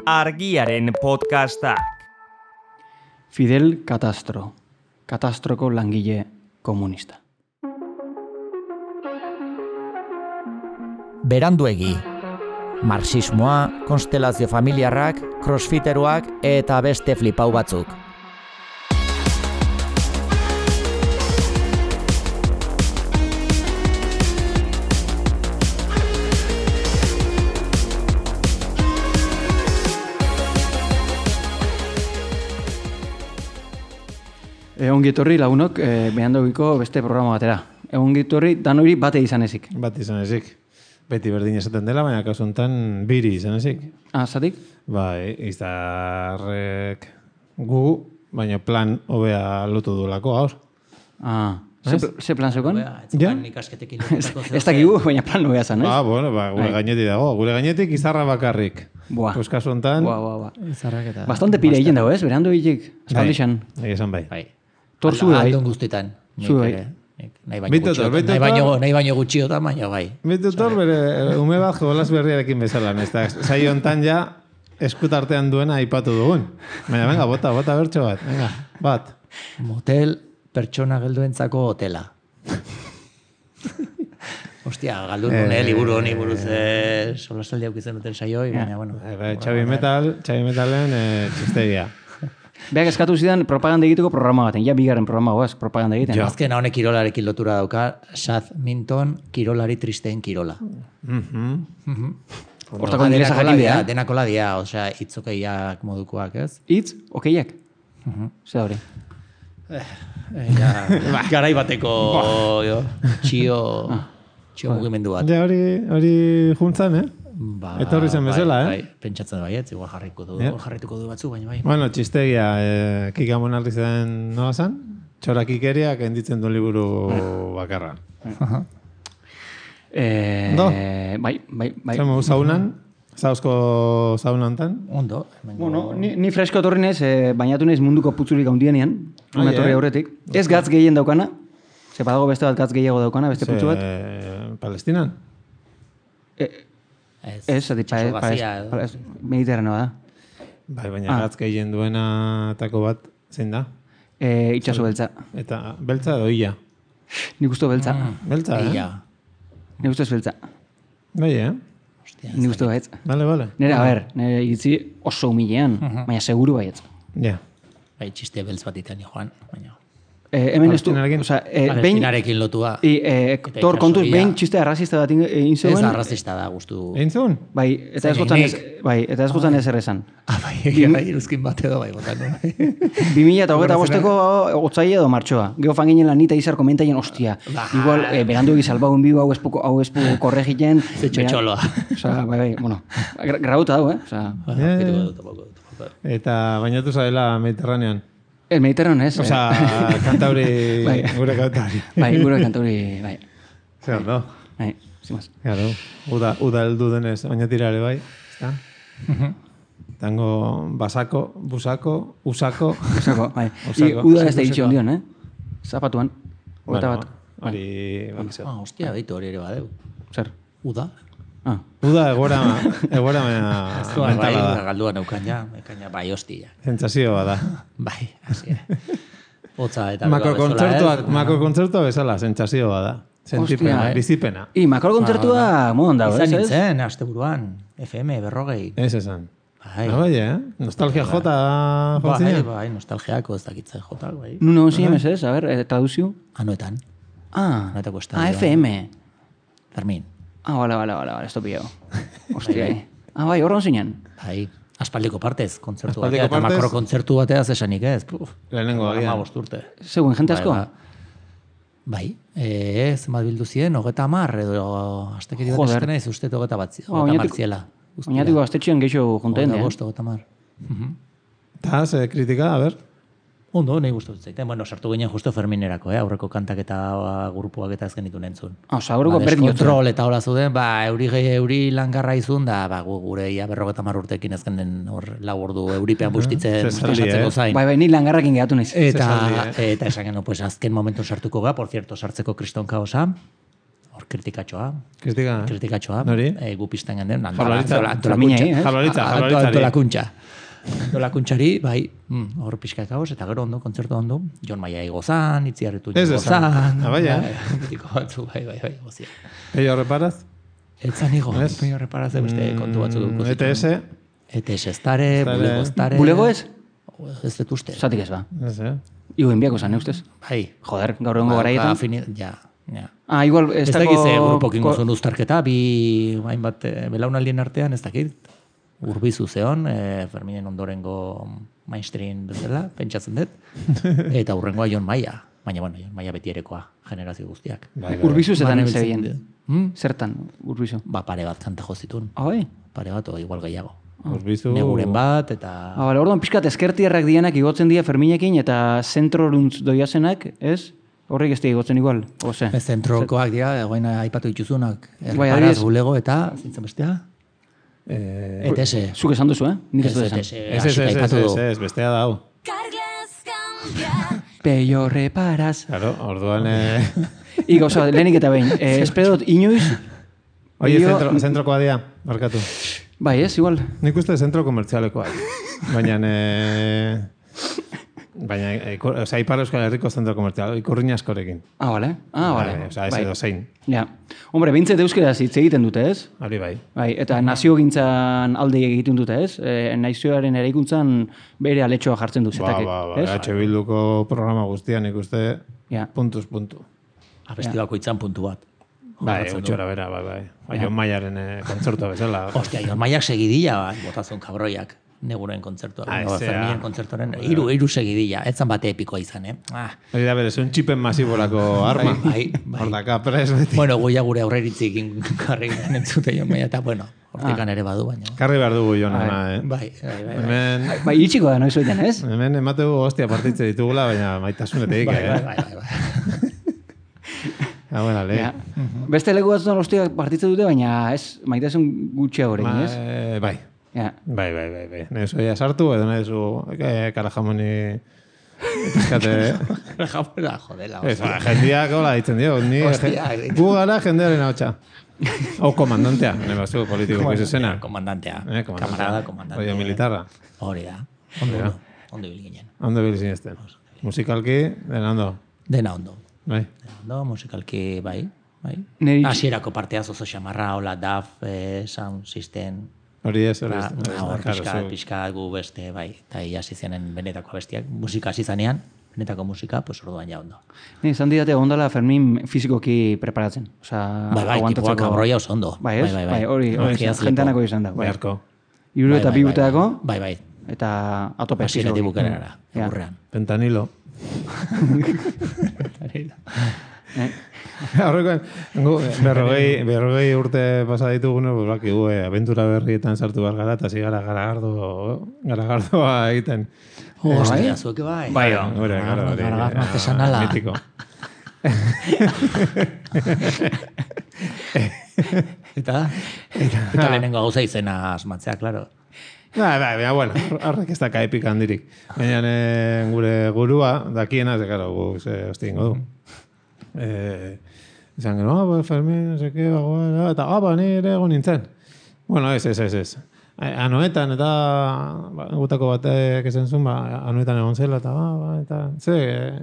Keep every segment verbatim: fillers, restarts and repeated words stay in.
Argiaren podcastak. Fidel Castro, Catastroko langile komunista. Beranduegi. Marxismoa, konstelazio familiarrak, crossfiteruak eta beste flipau batzuk. Ongitorri lagunok, eh, behantogiko beste programa batera. Ongitorri danori bate izan ezik. Bat izan ezik. Beti berdin esaten dela, baina kasu honetan biri izan ezik. Ah, zatik? Bai, izarrek gu, baina plan hobea lotu duelako gaur. Ah, ze, ze plan zeukan? Ja? Ez dakigu, baina plan nobea zan, ez? Ah, bueno, ba, gure gainetik dago. Gure gainetik izarra bakarrik. Buah. Pues kasu honetan... Buah, buah, buah. Izarrak eta... Bastante pire egin dago, ez? Berando hilik, espaldixan. Bai, esan bai. Bai. Tor zu bai. Aldon guztetan. Zu bai. Nahi baino Bitotor, gutxiotan, bitotor. nahi baino, nahi baino gutxiotan, baina bai. Bitutor bere ume bat jolas berriarekin bezala, ez da, saio hontan ja eskutartean duena aipatu dugun. Baina, venga, bota, bota bertxo bat, venga, bat. Motel pertsona gelduentzako hotela. Ostia, galdu nune, eh, liburu honi buruz eh, solasaldi aukitzen duten saioi, baina, bueno. Eh, Xabi Metal, Xabi Metalen eh, txistegia. Beak eskatu zidan propaganda egiteko programa baten, ja bigarren programa goaz, propaganda egiten. Jo, azken honek kirolarekin lotura dauka, Sad Minton, kirolari tristeen kirola. Mhm. Hortako ingelesa jakin dia, bida. denakola dia, osea, itzokeiak modukoak, ez? Itz, okeiak. Zer hori. Ja, garai bateko jo, txio, txio mugimendu bat. Ja, hori, hori juntzan, eh? Ba, Etorri zen bezala, bai, eh? Bai, pentsatzen baietz, igual jarriko du, Ja. jarrituko du batzu, baina bai. Bueno, txistegia, eh, Kika Monarri zen nola zan? Txorakikeriak enditzen du liburu bakarra. Eh, No. Bai, bai, bai. Zemu zaunan, zauzko zauna hontan. Ondo. hemengo- Bueno, ni, ni fresko etorri nez, eh, bainatu nez munduko putzurik handienean, Ah, una etorri ja. aurretik. Ez gatz gehien daukana, ze badago beste bat gatz gehiago daukana, beste putzu bat. Ze, Palestinan? Eh, Ez, Ez, zati, pa, itsaso pa, gazia edo. pa, Mediterraneo da. Bai, baina Ah. gatz gehien duenatako bat zein da? E, itxaso beltza. Eta beltza edo ia? Nik usto beltza. Beltza, eh? Ia. Nik usto ez beltza. Bai, eh? Ostia, Nik usto baitz. Vale, vale. Nera, a ber, nire iritzi oso humilean, baina seguru baietz. Ja. bai, txiste beltz bat itean joan, baina. Eh, hemen ez du, Palestinarekin? oza, eh, behin, Palestinarekin lotua. i, eh, Eta tor kontuz, itsasoia. behin txiste arrazista bat egin Ez zeuen. da arrazista da, guztu. Egin zuen? Bai, eta ez Zain gotzan ez, nik. bai, eta ez gotzan ez errezan. Ah, bai, egia bai, iruzkin bat edo bai, botan. bi mila eta hogeita bosteko otzaile edo martxoa. Gero fan ginen lanita izar komentaien, ostia. Ba. Igual, eh, berandu egiz albagun bigu hau espu, hau espu korregiten. Ze txotxoloa. Osa, bai, bai, bueno, gra- grauta dau, eh? Osa, Ja, Ketuko ja. dut, topoko dut, topoko dut. Eta bainatu zaila Mediterranean. el Mediterraneo ez. Osa, eh? kantauri, Bai. gure kantauri. Bai, gure kanturi, bai. Zer, no? Bai, zimaz. Claro, uda, uda heldu denez, baina tirare bai, ezta? Tango basako, busako, usako. Osako, bai. I, Osako. uda ez da iritsi ondion, eh? Zapatuan. Ogeta Bueno, bat. hori, bakizu. Ah, ostia, baitu hori ere badeu. Zer? Uda. Ah, Uda egora, egora mena Bai, mentala da. galdua neukan ja, ekaina bai hostia. Sentsazio bada. Bai, hasi. Hotza eta Makrokontzertuak, makrokontzertua bezala, sentsazio bada. Sentipena, Hostia, eh. bizipena. I, makrokontzertua modan dago, ez? Izan ez? nintzen, asteburuan, F M, berrogei. Ez esan. Bai, Ah, bai, eh? Nostalgia jota bai, jontzina. bai, nostalgiako ez dakitzen jotak, bai. Nun egon zinemez, ez? A ber, eh, traduzio. Anoetan, Ah, Anoetako estadioa. ah, F M. Fermin. Ah, bale, bale, bale, bale, esto pillado. Hostia, eh. Ah, bai, horron zinen. Bai, aspaldiko partez, kontzertu Aspaldiko batea, eta partez. makrokontzertu batea zesanik ez. Puf, Lehenengo agian. hamabost urte. Zegoen, jente asko? Bai, ba. Bai, e, zenbat bildu ziren, hogeta mar, edo astekeri bat Joder. esaten naiz, uste hogeta bat zi- Ba, hogeta mar oinatuko- ziela. Guztira. Oinatiko gaztetxean gehiago junten, Hogeta eh? bost, hogeta mar. Eta, ze kritika, a ber. Ondo, nahi guztu zaiten. Bueno, sartu ginen justo Ferminerako, eh? Aurreko kantak eta ba, grupuak eta ez genitu nentzun. Ah, oza, horreko Ba, berdin jotzen. deskontrol eta hola zuden, ba, euri, gehi- euri langarra izun, da, ba, gu, gure ia berrogeta mar urtekin ez genen hor lau ordu euripean bustitzen, Zesaldi, bustizatzeko eh? zain. Bai, bai, ni langarrakin gehatu naiz. Eta, Zesaldi, eta esan genuen, pues, azken momentu sartuko ga, por cierto, sartzeko kriston kaosa. hor kritikatxoa. Kritika, eh? Kritikatxoa. Nori? E, gu pizten ganden. Jaurlaritza. Minei, eh? Jaurlaritza, jaurlaritzari. Antolakuntza. Antolakuntzari, bai, mm, hor pixka kaos, eta gero ondo, kontzertu ondo, Jon Maia igozan, itziarretu Ez esan. igozan. Ah, bai, eh? Betiko batzu, bai, bai, bai, gozia. Peio reparaz? Etzan igo, Ez? peio reparaz beste kontu batzu duko E T S? E T S estare, Estare. bulego estare. Bulego ez? Ez dut uste. Zatik ez ba. Ez, eh? Igo enbiako zan, ustez? Bai. Joder, gaur egongo garaietan. Fini, ja, ja. Ah, igual, ez Ez dako... dakit ze grupokin gozun uztarketa, bi hainbat eh, belaunaldien artean, ez dakit. Urbizu zeon, eh, Ferminen ondorengo mainstream bezala, pentsatzen dut. Eta urrengoa Jon Maia. Baina, bueno, Jon Maia beti erekoa, generazio guztiak. Bai, bai. Urbizu zetan Mane zebien. biltzen Hmm? Zertan, urbizu. Ba, pare bat kanta jozitun. Ah, bai? Pare bat, o igual gehiago. Urbizu... Neguren bat, eta... Ah, bale, orduan pixkat eskertierrak dienak igotzen dira Ferminekin eta zentroruntz doiazenak, ez? Horrek ez dira igotzen igual, oze? Ez zentrokoak dira, egoen aipatu dituzunak. Bai, Erreparaz, adibidez. bulego eta, zintzen bestea? Eh, E T S. Zuk esan duzu, eh? Nik ez Ez dut E esan. T S, Ez, ez, hasik ez, ez, aipatu ez, du. ez, bestea da hau. Peio reparaz. Claro, orduan... Eh... Igo, oza, lehenik eta behin. Eh, espero dut inoiz... Oie, Peio- zentro, zentrokoa dia, barkatu. Bai, ez, igual. Nik uste zentro komertzialekoa. Baina... Eh... Baina, eh, ikur- osea, Ipar Euskal Herriko zentro komertzial, ikurriña askorekin. Ah, bale. Ah, bale. Bai, osea, ez Bai. edo zein. Ja. Hombre, bintzet euskeraz hitz egiten dute, ez? Hori bai. Bai, eta nazio gintzan alde egiten dute, ez? E, nazioaren eraikuntzan bere aletxoa jartzen du Ba, zetakek, ba, ba, ez? H Bilduko programa guztian ikuste Ja. puntuz puntu. Abesti bakoitzan puntu bat. Bai, Jorratzen du. utxora bera, bai, bai. Bai, Jon Maiaren eh, kontzertua bezala. Ostia, Jon Maiak segidilla bat, botazun kabroiak. Neguren kontzertua. Ah, no, ezea. Ferminen kontzertuaren, iru, iru segidilla. Etzan bate epikoa izan, eh? Ah. Hori da berez, un txipen masiborako arma. Bai, bai. Hor daka, pres beti. Bueno, goia gure aurreritzik karri entzute Jon Maia, eta bueno, hortikan ere badu, baina. Karri behar dugu Jona, eh? Bai, bai, bai. bai. Hemen, Bai, itxiko da, noiz oiten, ez? hemen emategu hostia partitze ditugula, baina maitasunetik, Bai, bai, eh? bai, bai, bai. Ah, bueno, le. Ja. Beste leku batzutan ostiak partitze dute, baina ez, maitasun gutxia horrekin, Ma, ez? eh, bai. Ja. Bai, bai, bai, bai. Nezu ja sartu, edo nezu eh, karajamoni pizkate... Jamona, jodela. Ez, ba, jendiak hola ditzen dio. Ni, Hostia, je- gu gara jendearen hau txa. Hau komandantea, nire bazu politiko izena. Komandantea. Eh, komandantea. Kamarada, komandante. Oio militarra. Hori da. Hori da. Ondo hil ginen. Ondo bil zinezten. Musikalki, dena ondo. Dena ondo. Bai. Dena ondo, musikalki, bai. bai. Neri- Hasierako parteaz oso xamarra, hola, D A F, eh, sound system, Hori ez, hori ez. Ba, hori ez, hor claro, pixka, zu- pixka gu beste, bai, eta hasi zenen benetako abestiak, musika hasi zanean, benetako musika, pues orduan ja ondo. Ni izan didate ondala Fermin fizikoki preparatzen. Osea, Bai, bai, tipoak kabroia oso ondo. Bai, ez? Bai, bai, Bai, hori, hori Orgiaz lepo. jentanako izan da. Bai. Beharko. Iru eta Bai, bi bai, urteako, Bai, bai, eta atope. hasieratik fizikoki. bukaerara, Ja. aurrean. Pentanilo. Horrekoen, gu, berrogei, berrogei urte pasa ditugune, pues, bakigu, eh, abentura berrietan sartu behar gara, eta zigara garagardo, garagardoa egiten. Hostia, zueke bai. Bai, Hore, gara, hori. Garagardo artesanala. Mitiko. Eta? Eta lehenengo gauza izena asmatzea, klaro. Ba, ba, ba, bueno, horrek ez daka epika handirik. Baina eh, gure gurua, dakiena, ze, karo, gu, ze, hosti ingo du. Eh, izan gero, ah, ba, Fermin, no sé qué, ba, eta, ah, ba, ni ere egon nintzen. Bueno, ez, ez, ez, ez. Anoetan, eta, ba, gutako batek esan zuen, ba, anoetan egon zela, eta, ba, ba, eta, ze, eh,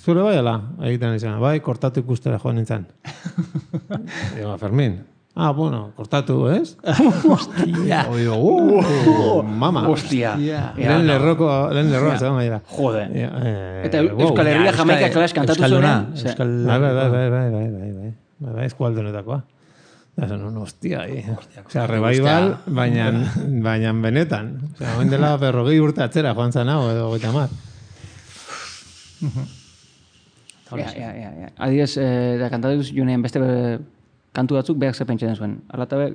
zure bai ala, egiten izan, bai, kortatu ikustera joan nintzen. Digo, Fermin, ah, bueno, kortatu, ez? Hostia. Oigo, uh, mama. Hostia. Lehen lerroko, lehen lerroan zegoen gaira. Jode. Ja, eh, Eta wow. Euskal Herria Jamaika klas kantatu Euskalduna, zuen. Euskal... Bai, bai, bai, bai, bai, bai, bai, bai, bai, bai, eskualdunetakoa. Da, zen, no, hostia, eh. Osea, revival, baina, baina benetan. Osea, oen dela berrogei urte atzera joan zan hau, edo goita mar. Ja, ja, ja, ja. Adibidez, eh, da kantatu junean beste eh, kantu batzuk berak ze pentsatzen zuen. Ala eta be,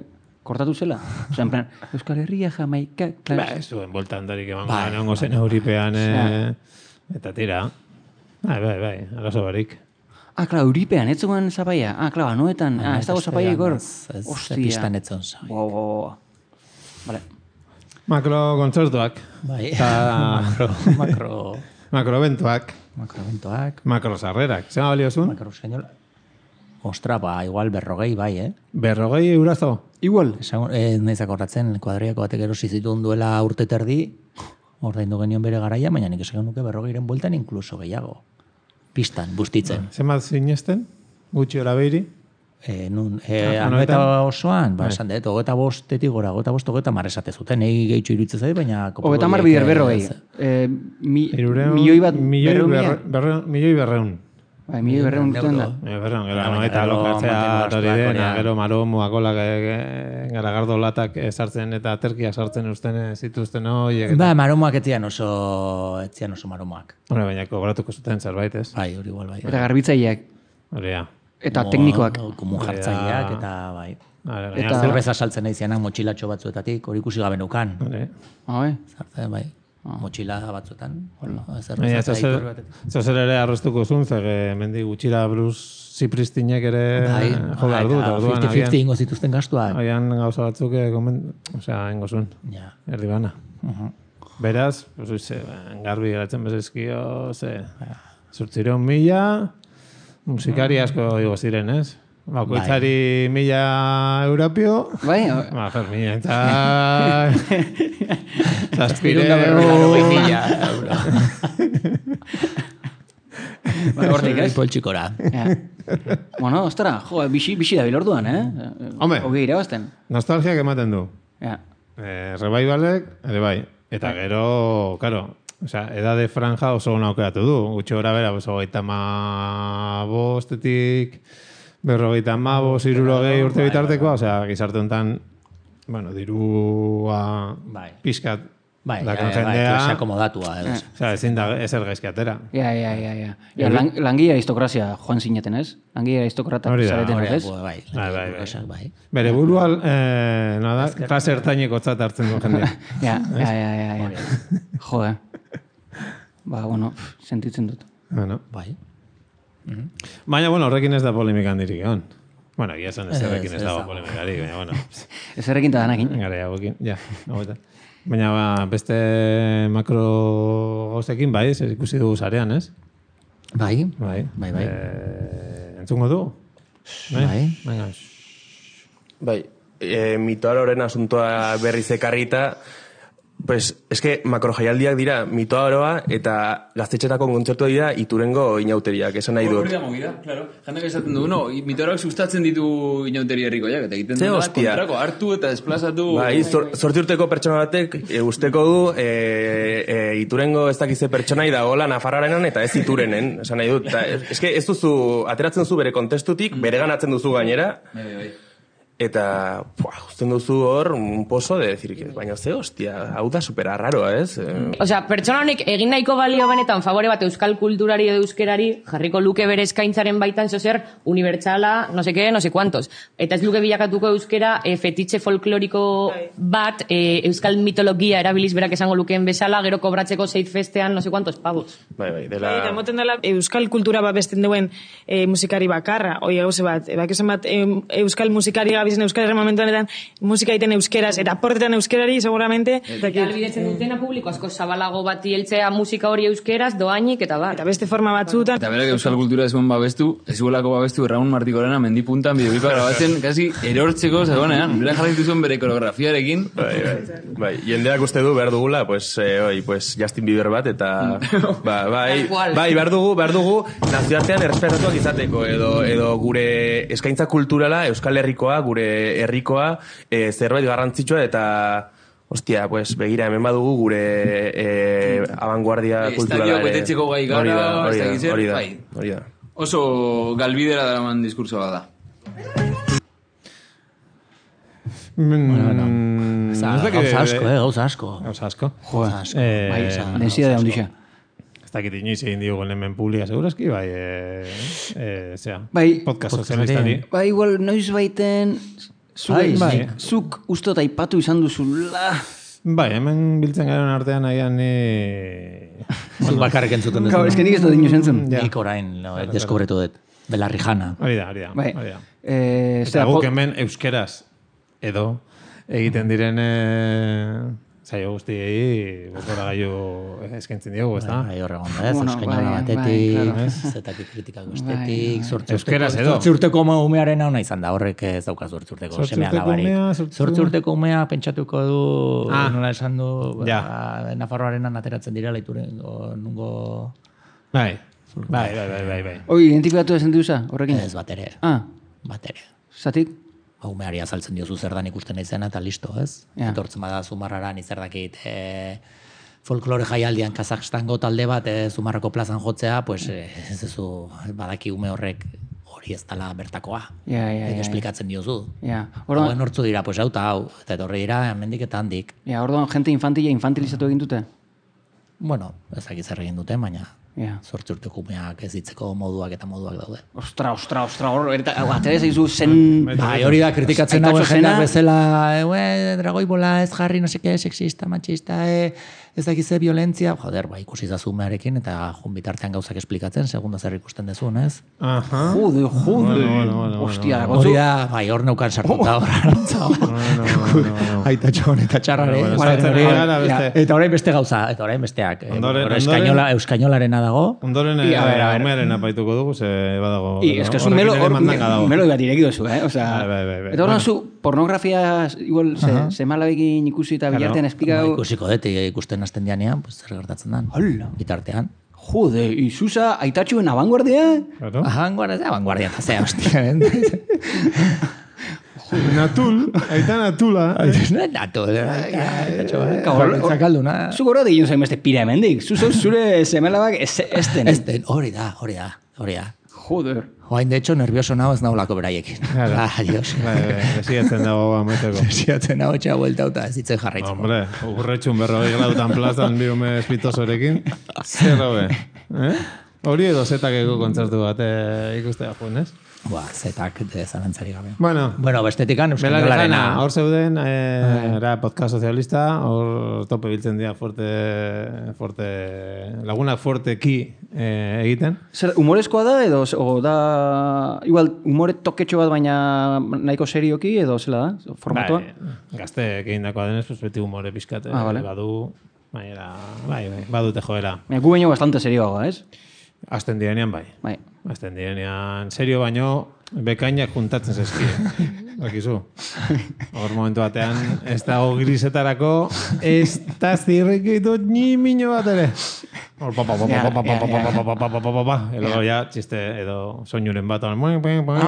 kortatu zela. Osea, en plan, Euskal Herria Jamaika Ba, klas. ez zuen boltan darik eman Bai, garen ongo zen euripean, eh, eta tira. Bai, bai, bai, arazo barik. Ah, klar, Euripean, ez zegoen zapaia. Ah, klar, anuetan. Ah, ez dago zapaia ikor. Ez, ez, Hostia. pistan etzon zai. Wow, wow, wow. Vale. Makro kontzertuak, Bai, Ta- makro, makro, makro bentuak, makro bentoak, makro sarrerak. Zema balio zuen? makro señola. Ostra, ba, igual berrogei bai, eh? Berrogei eurazo? Igual. Esan, eh, naizak horratzen, kuadriako batek erosi zituen duela urte terdi, ordaindu genion bere garaia, baina nik esan nuke berrogeiren bueltan inkluso gehiago. Pistan, bustitzen. Zenbat sinesten? Gutxi hora behiri? E, nun, e, anueta osoan, ba, esan dut, hogeta bostetik gora, hogeta bost, hogeta mar esate zuten, egi gehitxo iruditzen zait, baina... Hogeta mar bider berrogei. E, mi, milioi bat berreun mila? Milioi berreun. Bai, milioi berreun duten da. Milioi berreun, gero anueta lokatzea hori dena, gero maromuak olak garagardo latak sartzen eta terkiak sartzen usten zituzten hori. Ba, maromuak etzian oso, etzian oso maromuak. Hore, baina kogratuko zuten zerbait, ez? Bai, hori igual, bai. Eta garbitzaileak. Hori, ja. Eta teknikoak. Komun jartzaileak, eta bai. Eta zerbeza saltzen nahi zianak motxilatxo batzuetatik, hori ikusi gabe nukan. Bai. Zartzen, bai. Motxila batzuetan. Zozer ere arroztuko zuen, zer mendi gutxira Bruce Zipristinek ere jo behar dut. fifty fifty ingo zituzten gastuak. Haian gauza batzuk, osea, ingo zuen. Erdi bana. Beraz, garbi geratzen bezizkio, ze, zurtzireun mila, musikari asko igo ziren, ez? Bakoitzari mila europio. Bai. Ba, Fermin, eta... Zazpireun mila euro. Hortik, ez? Poltsikora. Bueno, ostara, jo, bixi, bixi da bilorduan, eh? Hombre. Ogei irabazten. Nostalgiak ematen du. Ja. Rebaibalek, ere bai. Eta gero, karo, osea, edade franja oso gona aukeratu du. Gutxo gora bera, hogeita ma bostetik, berrogeita ma bost, irurogei urte bitartekoa, osea, gizarte honetan, bueno, dirua pixkat Bai, bai, klase akomodatua. Osea, ezin da, ezer gaizki atera. Ja, ja, ja, ja. Ja, langia aristokrazia joan zineten, ez? Langia aristokratak zareten, ez? Bai, bai. Bere burua, nada, klase ertaineko tzat hartzen du jendea. Ja, ja, ja, ja. Jo, eh. Ba, bueno, sentitzen dut. Bueno. Bai. Baina, bueno, horrekin ez da polemika handirik egon. Bueno, egia esan ez errekin ez dago polemikari, baina, bueno. Ez errekin eta danakin. Gara, hauekin, ja, hauetan. Baina ba, beste makro gauzekin, bai, zer ikusi dugu zarean, ez? Bai, bai, bai. bai. E, entzungo du? Bai. Baina, bai, e, mitoaloren asuntoa berriz ekarrita, pues, eske makrojaialdiak dira mitoaroa eta gaztetxetako kontzertua dira Iturengo inauteriak, esan nahi dut. Hori da movida, claro. Jandak esaten du, no, mitoaroak sustatzen ditu inauteria herrikoiak, eta egiten du da kontrako, hartu eta desplazatu. Bai, zortzi urteko pertsona batek e, usteko du e, e, Iturengo ez dakize pertsonai da gola Nafarroarenan eta ez Iturenen, esan nahi dut. Ta, eske ez duzu, ateratzen duzu bere kontestutik, bere ganatzen duzu gainera. Bai, bai. Eta, pua, usten duzu hor, un pozo de decir, baina ze, hostia, hau da supera raroa, ez? Osea, pertsona honek egin nahiko balio benetan favore bat euskal kulturari edo euskerari, jarriko luke bere eskaintzaren baitan zozer, unibertsala, no seke, no se cuantos. Eta ez luke bilakatuko euskera e, fetitxe folkloriko bat, e, euskal mitologia erabiliz berak esango lukeen bezala, gero kobratzeko zeit festean, no se cuantos pavos. Bai, bai, dela... Eta moten dela, euskal kultura bat besten duen e, musikari bakarra, oi gauze bat, e, bak esan bat, e, euskal musikari gabizen euskal momentu honetan, musika egiten euskeraz, eta portetan euskerari, seguramente. Eta albidetzen dutena publiko asko zabalago bat hieltzea musika hori euskeraz, doainik, eta bat. Eta beste forma batzutan. Eta berak euskal kultura ez zuen babestu, ez zuelako babestu Raun Martikorena mendipuntan bideoipa grabatzen, kasi erortzeko zegoenean. Berak jarraitu zuen bere koreografiarekin. Bai, bai. Bai, jendeak uste du behar dugula, pues, eh, oi, pues, Justin Bieber bat, eta... ba, bai, bai, behar dugu, behar dugu, nazioartean errespetatuak izateko, edo, edo gure eskaintza kulturala, euskal herrikoa, gure herrikoa, e, zerbait garrantzitsua eta hostia, pues begira hemen badugu gure e, abanguardia kulturala. Estadioak betetzeko gai gara, hori da, hori da, bai. hori da. Oso galbidera daraman diskurso bat da. Gauza asko, eh, gauza asko. Gauza asko. Joa, bai, densidade handixa. Ez dakit inoiz egin diogun hemen publika, segurazki, bai, e, e, zera, bai, podcast sozialistari. Bai, igual, noiz baiten, zuk, bai, zuk ustot aipatu izan duzula. Bai, hemen biltzen garen artean agian ni... Zuk bakarrik entzuten duzu. Gau, ez que nik ez dut inoz entzun. Nik orain, deskubretu dut. Belarrijana. Hori da, hori da. Bai. Eta guk hemen euskeraz edo egiten diren saio guztiei botora gaiu eskaintzen diogu, ez da? Bai, horregon da, ez, Bueno, eskainola bai, batetik, bai, claro. zetaki kritikak Bai, bestetik, bai. zortzi Euskeraz urteko, edo. zortzi urteko umearen hau izan da, horrek ez dauka zortzi urteko Zortzi seme urteko alabarik. umea, zortzi- Zortzi urteko umea pentsatuko du, Ah. nola esan du, Ja. ba, Nafarroarenan ateratzen dira laituren, o, nungo... Bai, bai, bai, bai, bai, bai. Hoi, identifikatu ezen duza, horrekin? Ez bat ere, Ah, bat ere. zatik? Ba, umeari azaltzen diozu zer dan ikusten naizena eta listo, ez? Ja. Etortzen bada Zumarrara ni zer dakit, e, folklore jaialdian Kazakstango talde bat e, Zumarrako plazan jotzea, pues e, ez duzu badaki ume horrek hori ez dela bertakoa. Ja, ja, Eta ja. esplikatzen diozu. Ja, Orduan orduan, nortzu dira, pues hau eta hau, eta etorri dira hemendik eta handik. ja, orduan jente infantila infantilizatu egin dute? Bueno, ezakit zer egin dute, baina Ja. zortzi urteko umeak ez hitzeko moduak eta moduak daude. Ostra, ostra, ostra, hor, eta, atera zaizu zen... Bai, hori da kritikatzen Aitatxo dagoen jendeak zena. bezala, e, dragoi bola ez jarri, no seke, sexista, machista, e, ez dakize violentzia, joder, ba, ikusi zazu umearekin eta jun bitartean gauzak esplikatzen, segunda zer ikusten dezun, ez? Aha. Jode, jode. Bueno, bueno, bueno, Hostia, bueno. Hori da, bai, hor neukan sartuta hor arantza. Aitatxo eta txarrare. Bueno, Bueno, sartzen hori- gara beste. Eta orain beste gauza, eta orain besteak. Eh, Ondoren- hor ondoren- Euskainola, euskainolarena dago. Ondoren I, a ver, a ver. umearen apaituko dugu, ze badago... I, es que zu horrekin melo, ere hor, mandanga dago. melo bat ireki duzu, eh? Osea, Bai, bai, bai, bai. eta orduan Bueno. zu pornografia, igual, se, semalabekin ikusi eta Claro. bilartean Ba, esplikau... ikusiko dut, eh, ikusten hasten dianean, pues, zer gertatzen dan. Hola. Bitartean. Jode, izuza, aitatxuen abanguardia? Claro. Abanguardia, ez da, abanguardia, eta zea, hostia. Natul, aita natula. Nato, aitatxo, eh? Kabor- Bakoitzak alduna. Zu gora digin zain beste pira hemendik. Zu zeu zure semelabak ez, ez den. Ez den, hori da, hori da, hori da. Joder. Joain, de hecho, nervioso nago ez naulako beraiekin. Claro. Ah, adiós. Bai, bai, desiatzen dago ameteko. Siatzen hau etxea buelta eta ez hitzen jarraitzeko. Hombre, urretxun berrogei gradutan plazan bi ume espitosorekin. Zer hobe. Eh? Hori edo zetakeko kontzertu bat eh, ikustea jun, ez? Ba, zetak de zalantzari gabe. Bueno, Bueno, bestetikan Belarejana, euskainolarena. hor zeuden, eh, era podcast sozialista, hor tope biltzen dira fuerte, fuerte, lagunak fuerteki eh, egiten. Zer, humorezkoa da edo o da... Igual, humore toketxo bat baina nahiko serioki edo zela da? Formatua? Bai, gazteek egindakoa denez, pues beti humore pizkat, eh, Ah, vale. badu, baina, bai, bai, badute joera. Baina gu baino bastante serioagoa, ez? Azten direnean bai. Bai. Azten direnean serio baino bekainak juntatzen zezkie. Bakizu. Hor momentu batean, ez dago grisetarako, ez da zirrikitut ni mino bat ere. Hor, pa, pa, pa, pa, pa, pa, pa, pa, pa, pa, pa, pa, pa, pa, pa. Edo ja, txiste, edo soinuren bat. Ah,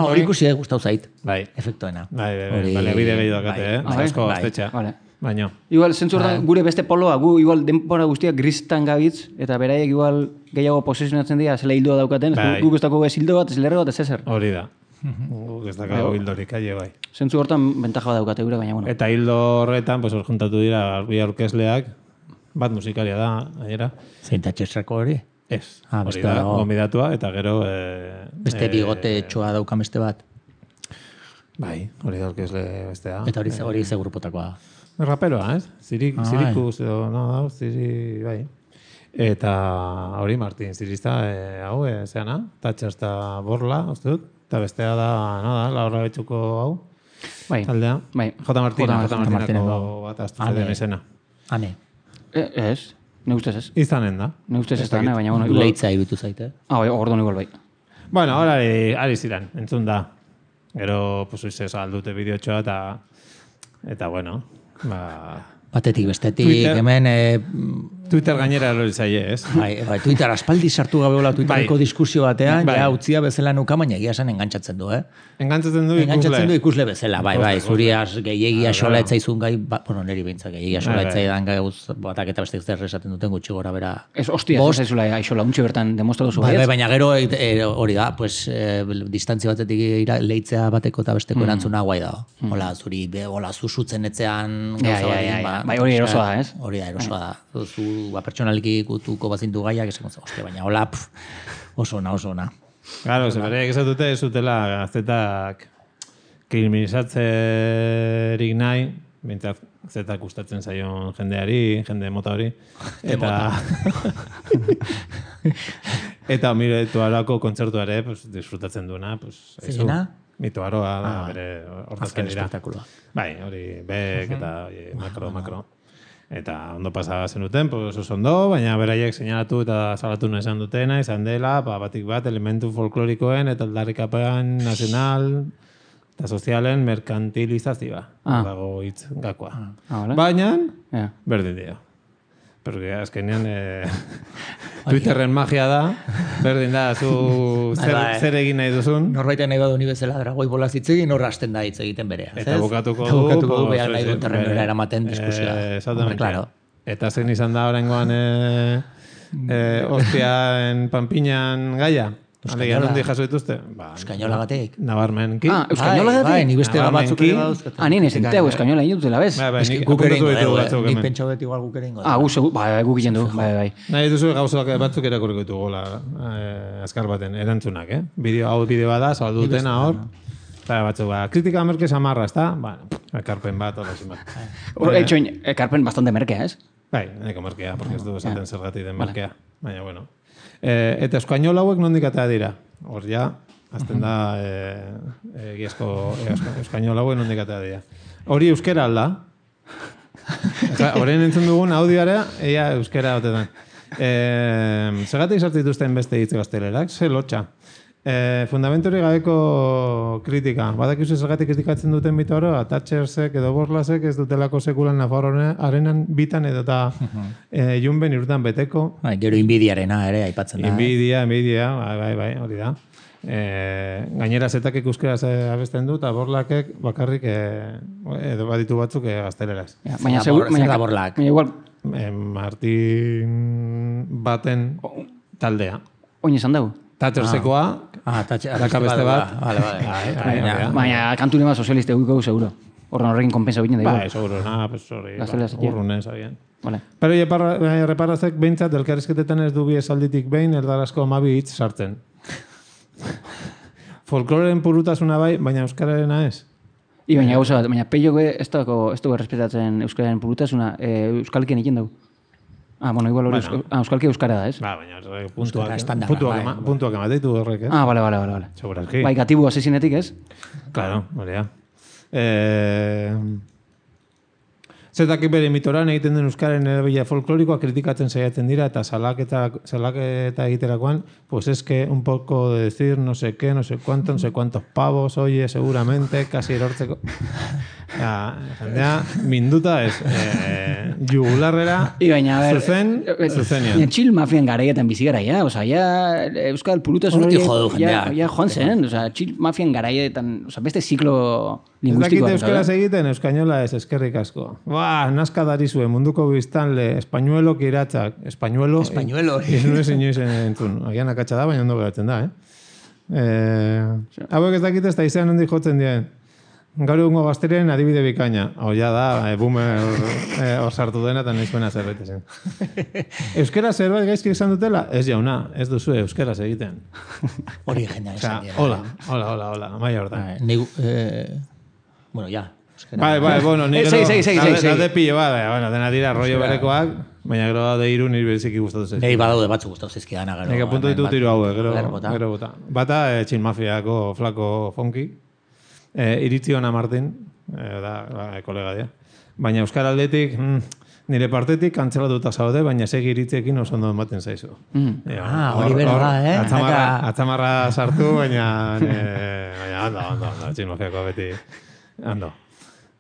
hori ikusi eh, gustau zait. Bai. Efektoena. Bai, bai, bai. Hori- Bale, bide gehiago dakate, bai, eh? bai, Asko bai. gaztetxa. Vale. Baino. Igual, zentzu hortan gure beste poloa, gu igual denbora guztiak gristan gabitz, eta beraiek igual gehiago posesionatzen dira, zela hildoa daukaten, Bai. bai. guk ez dago ez hildo bat, ez lerro bat, ez ezer. Hori da. Guk ez dakago hildorik, aie bai. Zentzu hortan bentaja bat daukate gure, baina bueno. Eta hildo horretan, pues, hor juntatu dira bi aurkezleak, bat musikaria da, gainera. Zein tatxesako hori? Ez, Ah, hori beste da, dago. gomidatua, eta gero... Eh, Beste eh, bigote txoa daukan beste bat. Bai, hori da aurkezle bestea. Eta hori, hori ze grupotakoa da. Raperoa, ez? Zirik, Ah, zirikus, edo, no, da, ziri, bai. Eta hori Martin Zirista, eh, hau, eh, zeana, Tatxasta Borla, uste dut, eta bestea da, nada, Laura Betxuko hau, Bai. taldea. Bai. J. Martina, J. J. Martineko. Martineko bat astu Ale. zeden izena. Hane, E, ez, ne ustez ez. Izanen da. Ne ustez ez Ez da, dakit. baina bueno, igual... leitza irutu zaite. Ah, bai, orduan igual bai. Bueno, ahora ari, ari ziren, entzun da. Gero, pues, oize, aldute bideotxoa, eta, eta, bueno, ba... Batetik bestetik, Twitter- hemen... E, Twitter gainera erori zaie, ez? bai, bai, Twitter aspaldi sartu gabeola Twittereko Bai. diskusio batean, Bai. ja utzia bezala nuka, baina egia esan engantzatzen du, eh? Engantzatzen du ikusle. Engantzatzen du ikusle bezala, bai, bai, Ikusle, zuri ikusle. as gehiagia Ah, sola claro. etzaizun gai, ba, bueno, neri behintzak gehiagia sola Bai, bai. etzaidan gauz batak eta bestek zer esaten duten gutxi gora bera. Ez, ostia, ez Bost. zaizula aixola, untxe bertan demostratu zu Bai, bai, baietz. baina gero e, e, hori da, pues, e, distantzia batetik ira, leitzea bateko eta besteko erantzuna guai da. Hola, zuri, be, hola, zu sutzen etzean Ja, gauza ja, batekin, ja, ja. ba, Bai, hori osea, erosoa da, ez? Hori da, erosoa da. Zu, ba, pertsonaliki gutuko bazintu gaiak, esan gontzen, ostia, baina hola, pf, oso ona, oso ona. Claro, ze bereik esatute ez zutela gaztetak kriminalizatzerik nahi, bintzat zetak gustatzen zaion jendeari, jende mota hori. Eta... eta mire, tuarako kontzertua ere, pues, disfrutatzen duena. Pues, Zeina? Mitoaroa da, Ah, bere hortatzen azken dira. espektakuloa. Bai, hori, bek eta oie, makro, makro. Eta ondo pasaba zenuten, pues oso ondo, baina beraiek seinalatu eta salatu nahi izan dutena, izan dela, ba, batik bat, elementu folklorikoen eta aldarrikapen nazional eta sozialen merkantilizazioa. Ah. Dago hitz gakoa. Ah, vale. Baina, Ja. berdin dio. Porque azkenean eh, Twitterren magia da, berdin da, zu zer, Bai, bai. zer egin nahi duzun. Norbaitek nahi badu ni bezala dragoi bolaz hitz egin, hor hasten da hitz egiten berea. Eta ez? bukatuko Eta du. bukatuko du, pues, behar nahi ez, duen terrenora bere- eramaten diskusioa. Eh, exactamente. Hombre, claro. Eta zen izan da oraingoan eh, eh, ostiaen panpinan gaia. Alegia, Euskainola. nondi jaso dituzte? Ba, Euskainola batek. Nabarmenki. Ah, euskainola Bai, gatik? bai, ni beste Ah, batzuk menki. ere badauzkat. Ah, nien ezin teu, eskainola egin dutela, bez? Bai, bai, Eske nik guk ere apuntatu ingo ditugu dugu, batzuk eh? Nik hemen. pentsau dut igual guk ere ingo Ah, gu segu, bai, guk egiten du, bai, bai. Nahi duzu gauzak batzuk erakurriko ditugu gola, eh, azkar baten, erantzunak, eh? Bideo, hau bideo bada, saldu dutena hor. Eta batzuk, ba, kritika merke samarra, ez da? Ba, ekarpen bat, hori zin bat. Hor, etxoin, ekarpen bastante merkea, ez? Bai, nahiko merkea, porque ez du esaten zergatik den merkea. Baina, bueno. Eh, eta eskainol hauek nondik atea dira? Hor ja, azten da eh, egiazko eh, eskainol hauek nondik atea dira. Hori euskera alda? Horren entzun dugun audioara, ea euskera otetan. Eh, Zergatik sartituzten beste hitz gaztelerak? Ze lotxa. Eh, fundamentori gabeko kritika. Badakizu zergatik kritikatzen duten bito oro, Thatchersek edo Borlasek ez dutelako sekulan Nafarroa arenan bitan edo eta eh, junben irutan beteko. Bai, gero inbidiarena ere aipatzen da. Inbidia, inbidia, bai, bai, bai, hori da. E, gainera zetakek euskeraz eh, abesten du, eta borlakek bakarrik eh, edo baditu batzuk eh, gazteleraz. Ja, baina, Zer da segur, bor- zer baina, da borlak? baina igual, E, Martin baten taldea. oin esan dugu. Thatchersekoa, Ah, tatxe, daka beste bat. Vale, vale. Bai, bai, Baina- bai, Baina, kantu nema sozialiste egukau, seguro. Horren horrekin kompensa binen da, bai, igual. seguro, na, pues hori, Gazteleraz, ba, urrunen, sabien. Vale. Pero ja, parra, eh, reparazek behintzat, elkarrizketetan ez du bi esalditik behin, erdarazko amabi hitz sartzen. Folkloren purutasuna bai, baina euskararena ez. I baina gauza bat, baina peio be, ez dago, ez dago errespetatzen euskararen purutasuna, e, euskalkien egin dugu. Ah, bueno, igual hori Bueno. euskal, ah, euskalki euskara da, ez? Ba, baina horrek puntuak, Euskara estandarra, puntuak, bai, ema, bai. puntuak emateitu horrek, ez? Ah, vale, vale, vale, vale. Segurazki. Bai, gatibu asesinetik, ez? Claro, hori da. Eh, Zetakik bere mitoran egiten den euskaren erabilera folklorikoa kritikatzen saiatzen dira eta salaketa, salaketa egiterakoan, pues es que un poco de decir no sé qué, no sé cuánto, no sé cuántos pavos, oye, seguramente, casi erortzeko. Ja, jendea, minduta ez, eh, jugularrera, I baina, a ber, zuzen, zuzenian. Baina chill mafian garaietan bizi gara, ja, oza, ja, euskal purutasun Hortik hori, jo du ja, jendeak. ja joan zen, oza, chill mafian garaietan, oza, beste ziklo Ez lingüistikoa. dakite euskaraz egiten, euskainola ez, eskerrik asko. Ba, nazka darizue, munduko biztanle, españuelo kiratzak, españuelo... Españuelo. Ez nuen inoiz entzun. Agian akatsa da, baina ondo geratzen da, eh? eh hauek ez dakite ez da izan hondi jotzen dien. Gaur egungo gazteriaren adibide bikaina. Hau ja da, e, boomer e, hor sartu dena eta nahizuena zerbait zen. Euskera zerbait gaizki esan dutela? Ez jauna, ez duzu euskeraz egiten. Hori jendea Osea, esan dira. hola, hola, hola, hola, maia hortan. Bai, Negu, eh, bueno, ja. euskara. Bai, bai, bueno, ni Eh, gero... segi, segi, segi, daude- segi. daude pilo bat, baina, bueno, dena dira rollo berekoak, baina gero daude hiru nire beziki gustatu zaiz. Nei badaude batzuk gustatu zaizkidana gero. Nik apuntu ditut hiru hauek, gero, Gero bota. gero bota. Bata, e, Txin Mafiako flako fonki, e, iritzi ona Martin, e, da, ba, kolega dia. Baina Euskal aldetik, mm, nire partetik kantzelatuta zaude, baina segi iritziekin oso ondo ematen zaizu. Mm. E, Ah, hori bera da, eh? Atzamarra, Naka- atzamarra sartu, baina, e, baina ondo, ondo, ondo, Txin Mafiako beti, ondo.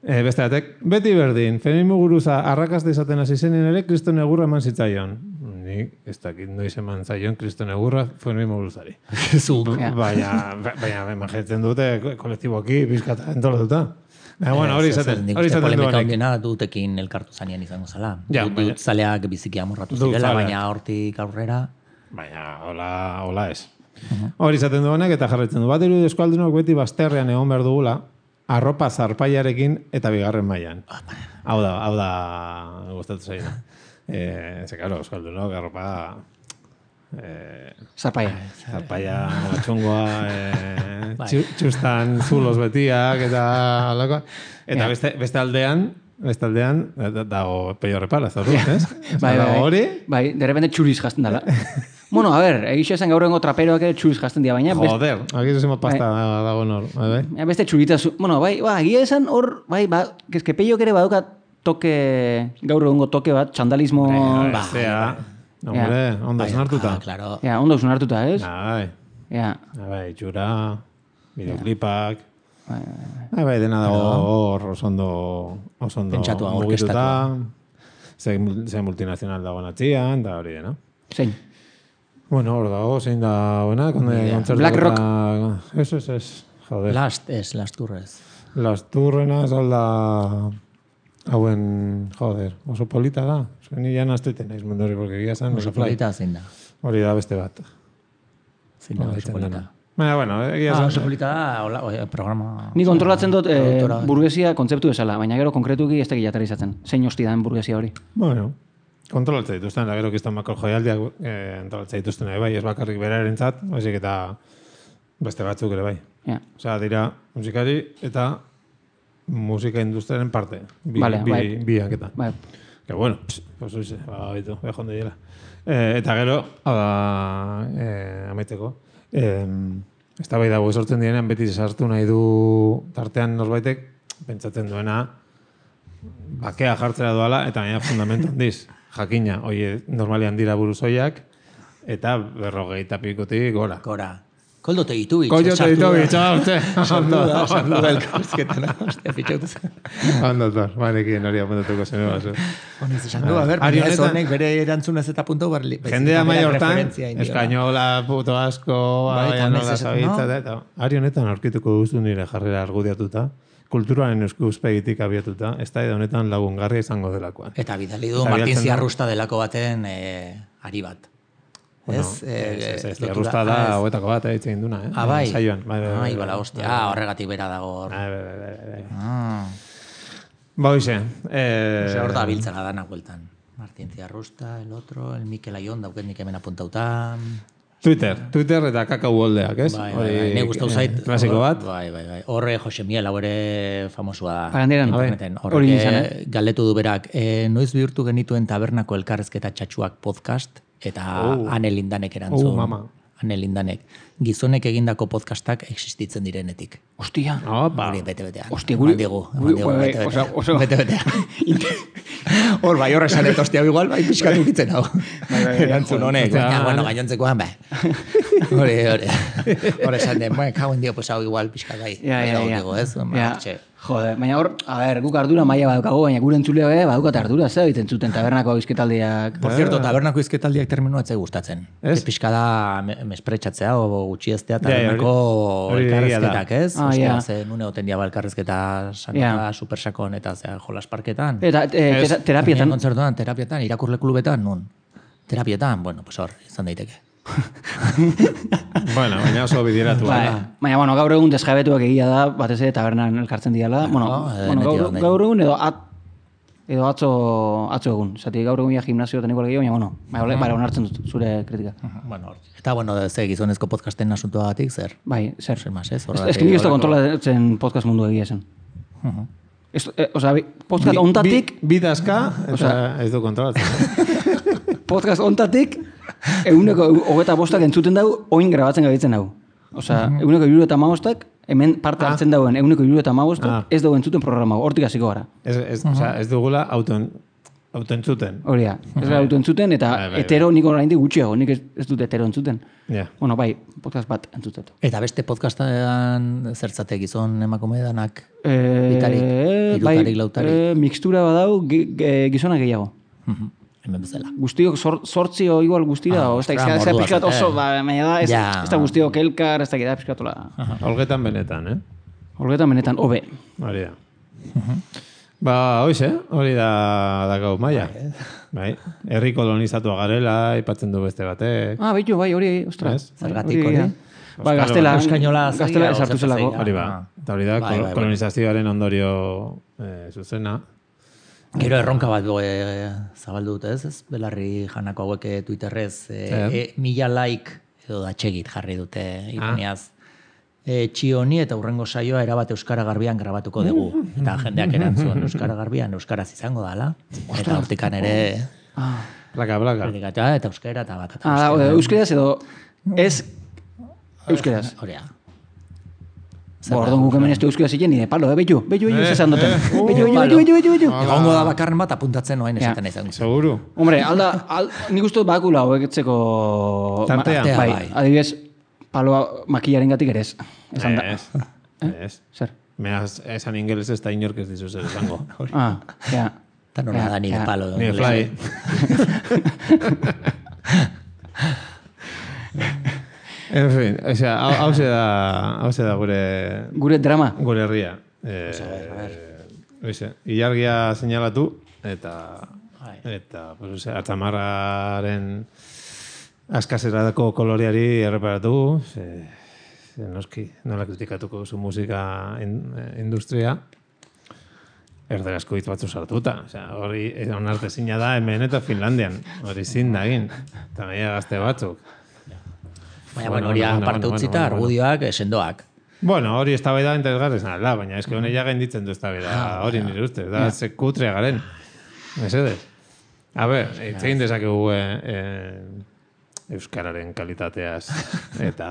E, beste batek, beti berdin, feminismo guruza arrakasta izaten hasi zenean ere kriston egurra eman zitzaion. Nik ez dakit noiz eman zaion kriston egurra feminismo guruzari. Zuk. Ja. Baina, baina imaginatzen dute kolektiboki bizkata entolatuta. Baina, bueno, hori Ez, ez, izaten, nik hori uste izaten polemika duanek. handiena dutekin elkartu zanean izango zala. Ja, Dut- baina- dut zaleak biziki amorratu Dut zirela, zaleak. baina hortik aurrera... Baina, hola, hola ez. Hori izaten duanek eta jarraitzen du. Bat irudi eskualdunok beti bazterrean egon behar dugula, arropa zarpaiarekin eta bigarren mailan. Hau da, hau da gustatu zaina. Eh, ze, claro, euskaldunok arropa... Eh, Zarpaia. zarpaia, txungoa, eh, Bai. txu- txustan zulos betiak eta alako. Eta Ja. beste, beste aldean, beste aldean, da- dago peio repala, ez da du, ez? Bai, Dago bai, hori, bai, de repente txuriz jazten dala. Bueno, a ver, egixo esan gaur egongo traperoak ere txuriz jazten dira, baina beste, joder, aquí se pasta dago nor, bai, bai. baina beste txuritazu, bueno, bai, ba, egia esan hor, bai, ba, kezke peiok ere badukat toke, gaur egungo toke bat, txandalismo... Ba, zea, hombre, ondo esnartuta. Claro. Ja, ondo esnartuta, ez? Bai. Ja. Bai, txura, videoklipak... Bai, bai, dena dago hor, osondo... Osondo pentsatua, orkestatua. Ze multinazional dago natxian, da hori, no? Zein? Bueno, hor dago, zein da buena, Black Rock. Eso, eso, es, joder. Last, ez, Las Turres. Las Turrenas, alda... Hauen, joder, oso polita da. Zuen ni jan azteten naiz mundu hori, porque gira zan... Oso polita zein da. Hori da beste bat. Zein da, oso polita. Baina, bueno, egia zan... Ah, oso polita da, hola, oia, programa... Ni kontrolatzen dut eh, burguesia kontzeptu bezala, baina gero konkretuki ez teki jatarizatzen. Zein hosti da burguesia hori? Bueno, kontrolatzen dituzten, da gero kistan makro joialdiak eh, kontrolatzen dituzten bai, ez bakarrik beraren zat, baizik eta beste batzuk ere bai. Ja. Osea, dira musikari eta musika industriaren parte. Bi, vale, bi, bai. biak eta. Bai. Que bueno, pss, pues oize, ba, bitu, beha jonde dira. Eh, eta gero, hau eh, amaiteko, eh, ez da bai dago sortzen dienean beti sartu nahi du tartean norbaitek, pentsatzen duena, bakea jartzera doala, eta gaina fundamentu handiz. Jakina, oie, normalian dira buruzoiak, eta berrogeita pikotik gora. Gora. Koldo Tegitovich. Koldo Tegitovich, hau, ze. Sartu da, sartu da elkarrizketan. Ostia, fitxautu zen. Ondo, tor, banekin hori apuntatuko zen. Honez, esan du, a ber, ez honek bere erantzunez eta punto barli. Jendea mai hortan, eskainola, puto asko, nola zabitza, eta ari honetan aurkituko duzu nire jarrera argudiatuta, kulturaren euskuspegitik abiatuta, ez da honetan lagungarria izango delakoan. Eta bidali du Martin Ziarrusta delako baten ari bat. Bueno, ez, ez, ez, Ziarrusta da hoetako bat egiten duna, eh? Ah, bai. Saioan. Ai, bala, hostia, horregatik bera dago. Bai, bai, bai, bai. Ba, hoxe. Ose hor da biltzena danak bueltan. Martin Ziarrusta, el otro, el Mikel Aion, dauket nik hemen apuntauta. Twitter, Twitter eta kakau goldeak, ez? Bai, bai, bai, ne gustau zait. Klasiko bat. Bai, bai, bai. Horre Jose Miel, hau ere famosua da. Parandiran, hori izan, galdetu du berak, e, noiz bihurtu genituen tabernako elkarrezketa txatxuak podcast, eta oh. Ane Lindanek erantzun. Oh, mama. Ane Lindanek. Gizonek egindako podcastak existitzen direnetik. Ostia. Opa. Hori, bete-betean. Ostia, guri. Digu, bete-betean. Bete-betean. Hor, bai, horre esanet, ostia, igual, bai, pixkatu gitzen hau. Erantzun honek. Baina, bueno, gainontzekoan, bai. Hori, hori. Hor esan den, bueno, kauen dio, pues hau igual pixkat bai. Ja, ja, ja. Ez, ja. Joder, baina hor, a ver, guk ardura maila badukago, baina gure entzulea be, badukate ardura, ze egiten zuten tabernako izketaldiak. Por cierto, tabernako izketaldiak terminua etzai gustatzen. Ez? Pixka da mespretxatzea, o gutxiestea tabernako elkarrezketak, ez? Ah, ja. Ze nune oten diaba elkarrezketa sanota, supersakon eta zea jolasparketan. Eta terapietan. Kontzertuan, terapietan, irakurle klubetan, nun. Terapietan, bueno, pues hor, izan daiteke. Bueno, baina oso bidiratu. Baina, bueno, gaur egun desjabetuak egia da, batez ere tabernan elkartzen diala. Bueno, bueno gaur, gaur egun edo at, edo atzo, atzo egun. Zati, gaur egun ja gimnasio teniko legio, baina, bueno, bara onartzen dut zure kritika. Bueno, eta, bueno, ze gizonezko podcasten asuntua batik, zer? Bai, zer. Zer mas, ez? Ez que nik ez da kontrolatzen podcast mundu egia zen. Osa, podcast ontatik... Bidazka, eta ez du kontrolatzen. Podcast ontatik, eguneko hogeta bostak entzuten dugu, oin grabatzen gabitzen dugu. Osa, eguneko hiru eta hamabostak, hemen parte hartzen dauen eguneko hiru eta hamabostak, ez dugu entzuten programa, hortik hasiko gara. Ez dugula autoentzuten. Hori da, ez gara autoentzuten, eta hetero nik oraindik gutxiago, nik ez dut hetero entzuten. Bueno, bai, podcast bat entzutetu. Eta beste podcastan zertzate gizon emakume danak? Bitarik, irutarik, lautarik? Mixtura badau, gizona gehiago. Hemen bezala. Guztiok sortzi o igual guztira, o ez da pixkat oso, baina da, ez da guztiok elkar, ez da gira pixkatula. Olgetan benetan, eh? Olgetan benetan, hobe. Hori da. Ba, hoize, hori da dakau maia. Bai, herri kolonizatua garela, aipatzen du beste batek. Ah, baitu, bai, hori, ostra. Zergatik hori? Ba, gaztela, gaztela esartu zelako. Hori ba, eta hori da, kolonizazioaren ondorio zuzena. Gero erronka bat e, zabaldu dut ez, ez? Belarri janako hauek Twitterrez e, e, mila like edo datxegit jarri dute ironiaz. E, txioni eta urrengo saioa erabat Euskara Garbian grabatuko dugu. Eta jendeak erantzun Euskara Garbian Euskaraz izango dala. Eta hortikan ere... Ah. Plaka, plaka. Eta euskera eta bat. Ah, euskeraz edo ez euskeraz. Horea. Bordon guk hemen ez du euskera ziren, nire palo, eh, bello, bello, bello, zesan duten. Bello, bello, bello, bello, bello, bello. Egongo da bakarren bat apuntatzen noain esaten izan. Seguru. Hombre, alda, nik uste dut bakula hoeketzeko... Tartea. Bai, adibidez, paloa makillaren gatik ere ez. Ez, ez. Zer? Meaz, esan ingeles ez da inork ez dizu zer esango. Ah, ja. Eta nola da nire palo. Nire fly. En fin, o sea, hau se da, hau se da gure... Gure drama. Gure herria. Eh, a ver. Oize, ilargia seinalatu, eta... Eta, pues, ose, atzamarraren askaserako koloreari erreparatu, ze, ze noski, nola kritikatuko zu musika in, industria, erderazko hitz batzu sartuta. Osea, hori onartezina da hemen eta Finlandian. Hori zin da egin. Eta meia gazte batzuk. Baina, bueno, hori aparte utzita, argudioak, sendoak. Bueno, hori ez da bai da interesgarrezna, da, baina eske hone ja gainditzen du ez da bai da, hori nire ustez, da, ze kutrea garen. Mesedez. A ber, itzein dezakegu eh, eh, euskararen kalitateaz eta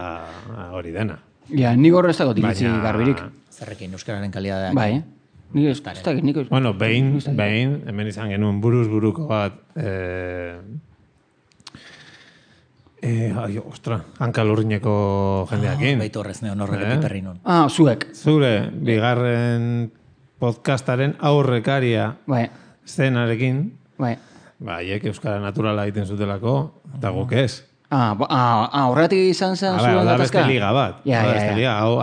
hori dena. Ja, nik horre ez dago iritzi garbirik. Zerrekin euskararen kalitateak. Bai, nik ez da, nik ez. Bueno, behin, behin, hemen izan genuen buruz buruko bat, eh, Eh, ai, ostra, hankalurrineko jendeakin. Oh, Baitu horrez neon horrek epiperri nun. Ah, zuek. Zure, bigarren podcastaren aurrekaria bai. Zenarekin. Bai. Ba, hiek euskara naturala egiten zutelako, eta guk ez. Ah, ah, ah, horretik izan zen zuen gatazka? Da beste liga bat. Ja, da, ja, beste liga. Hau,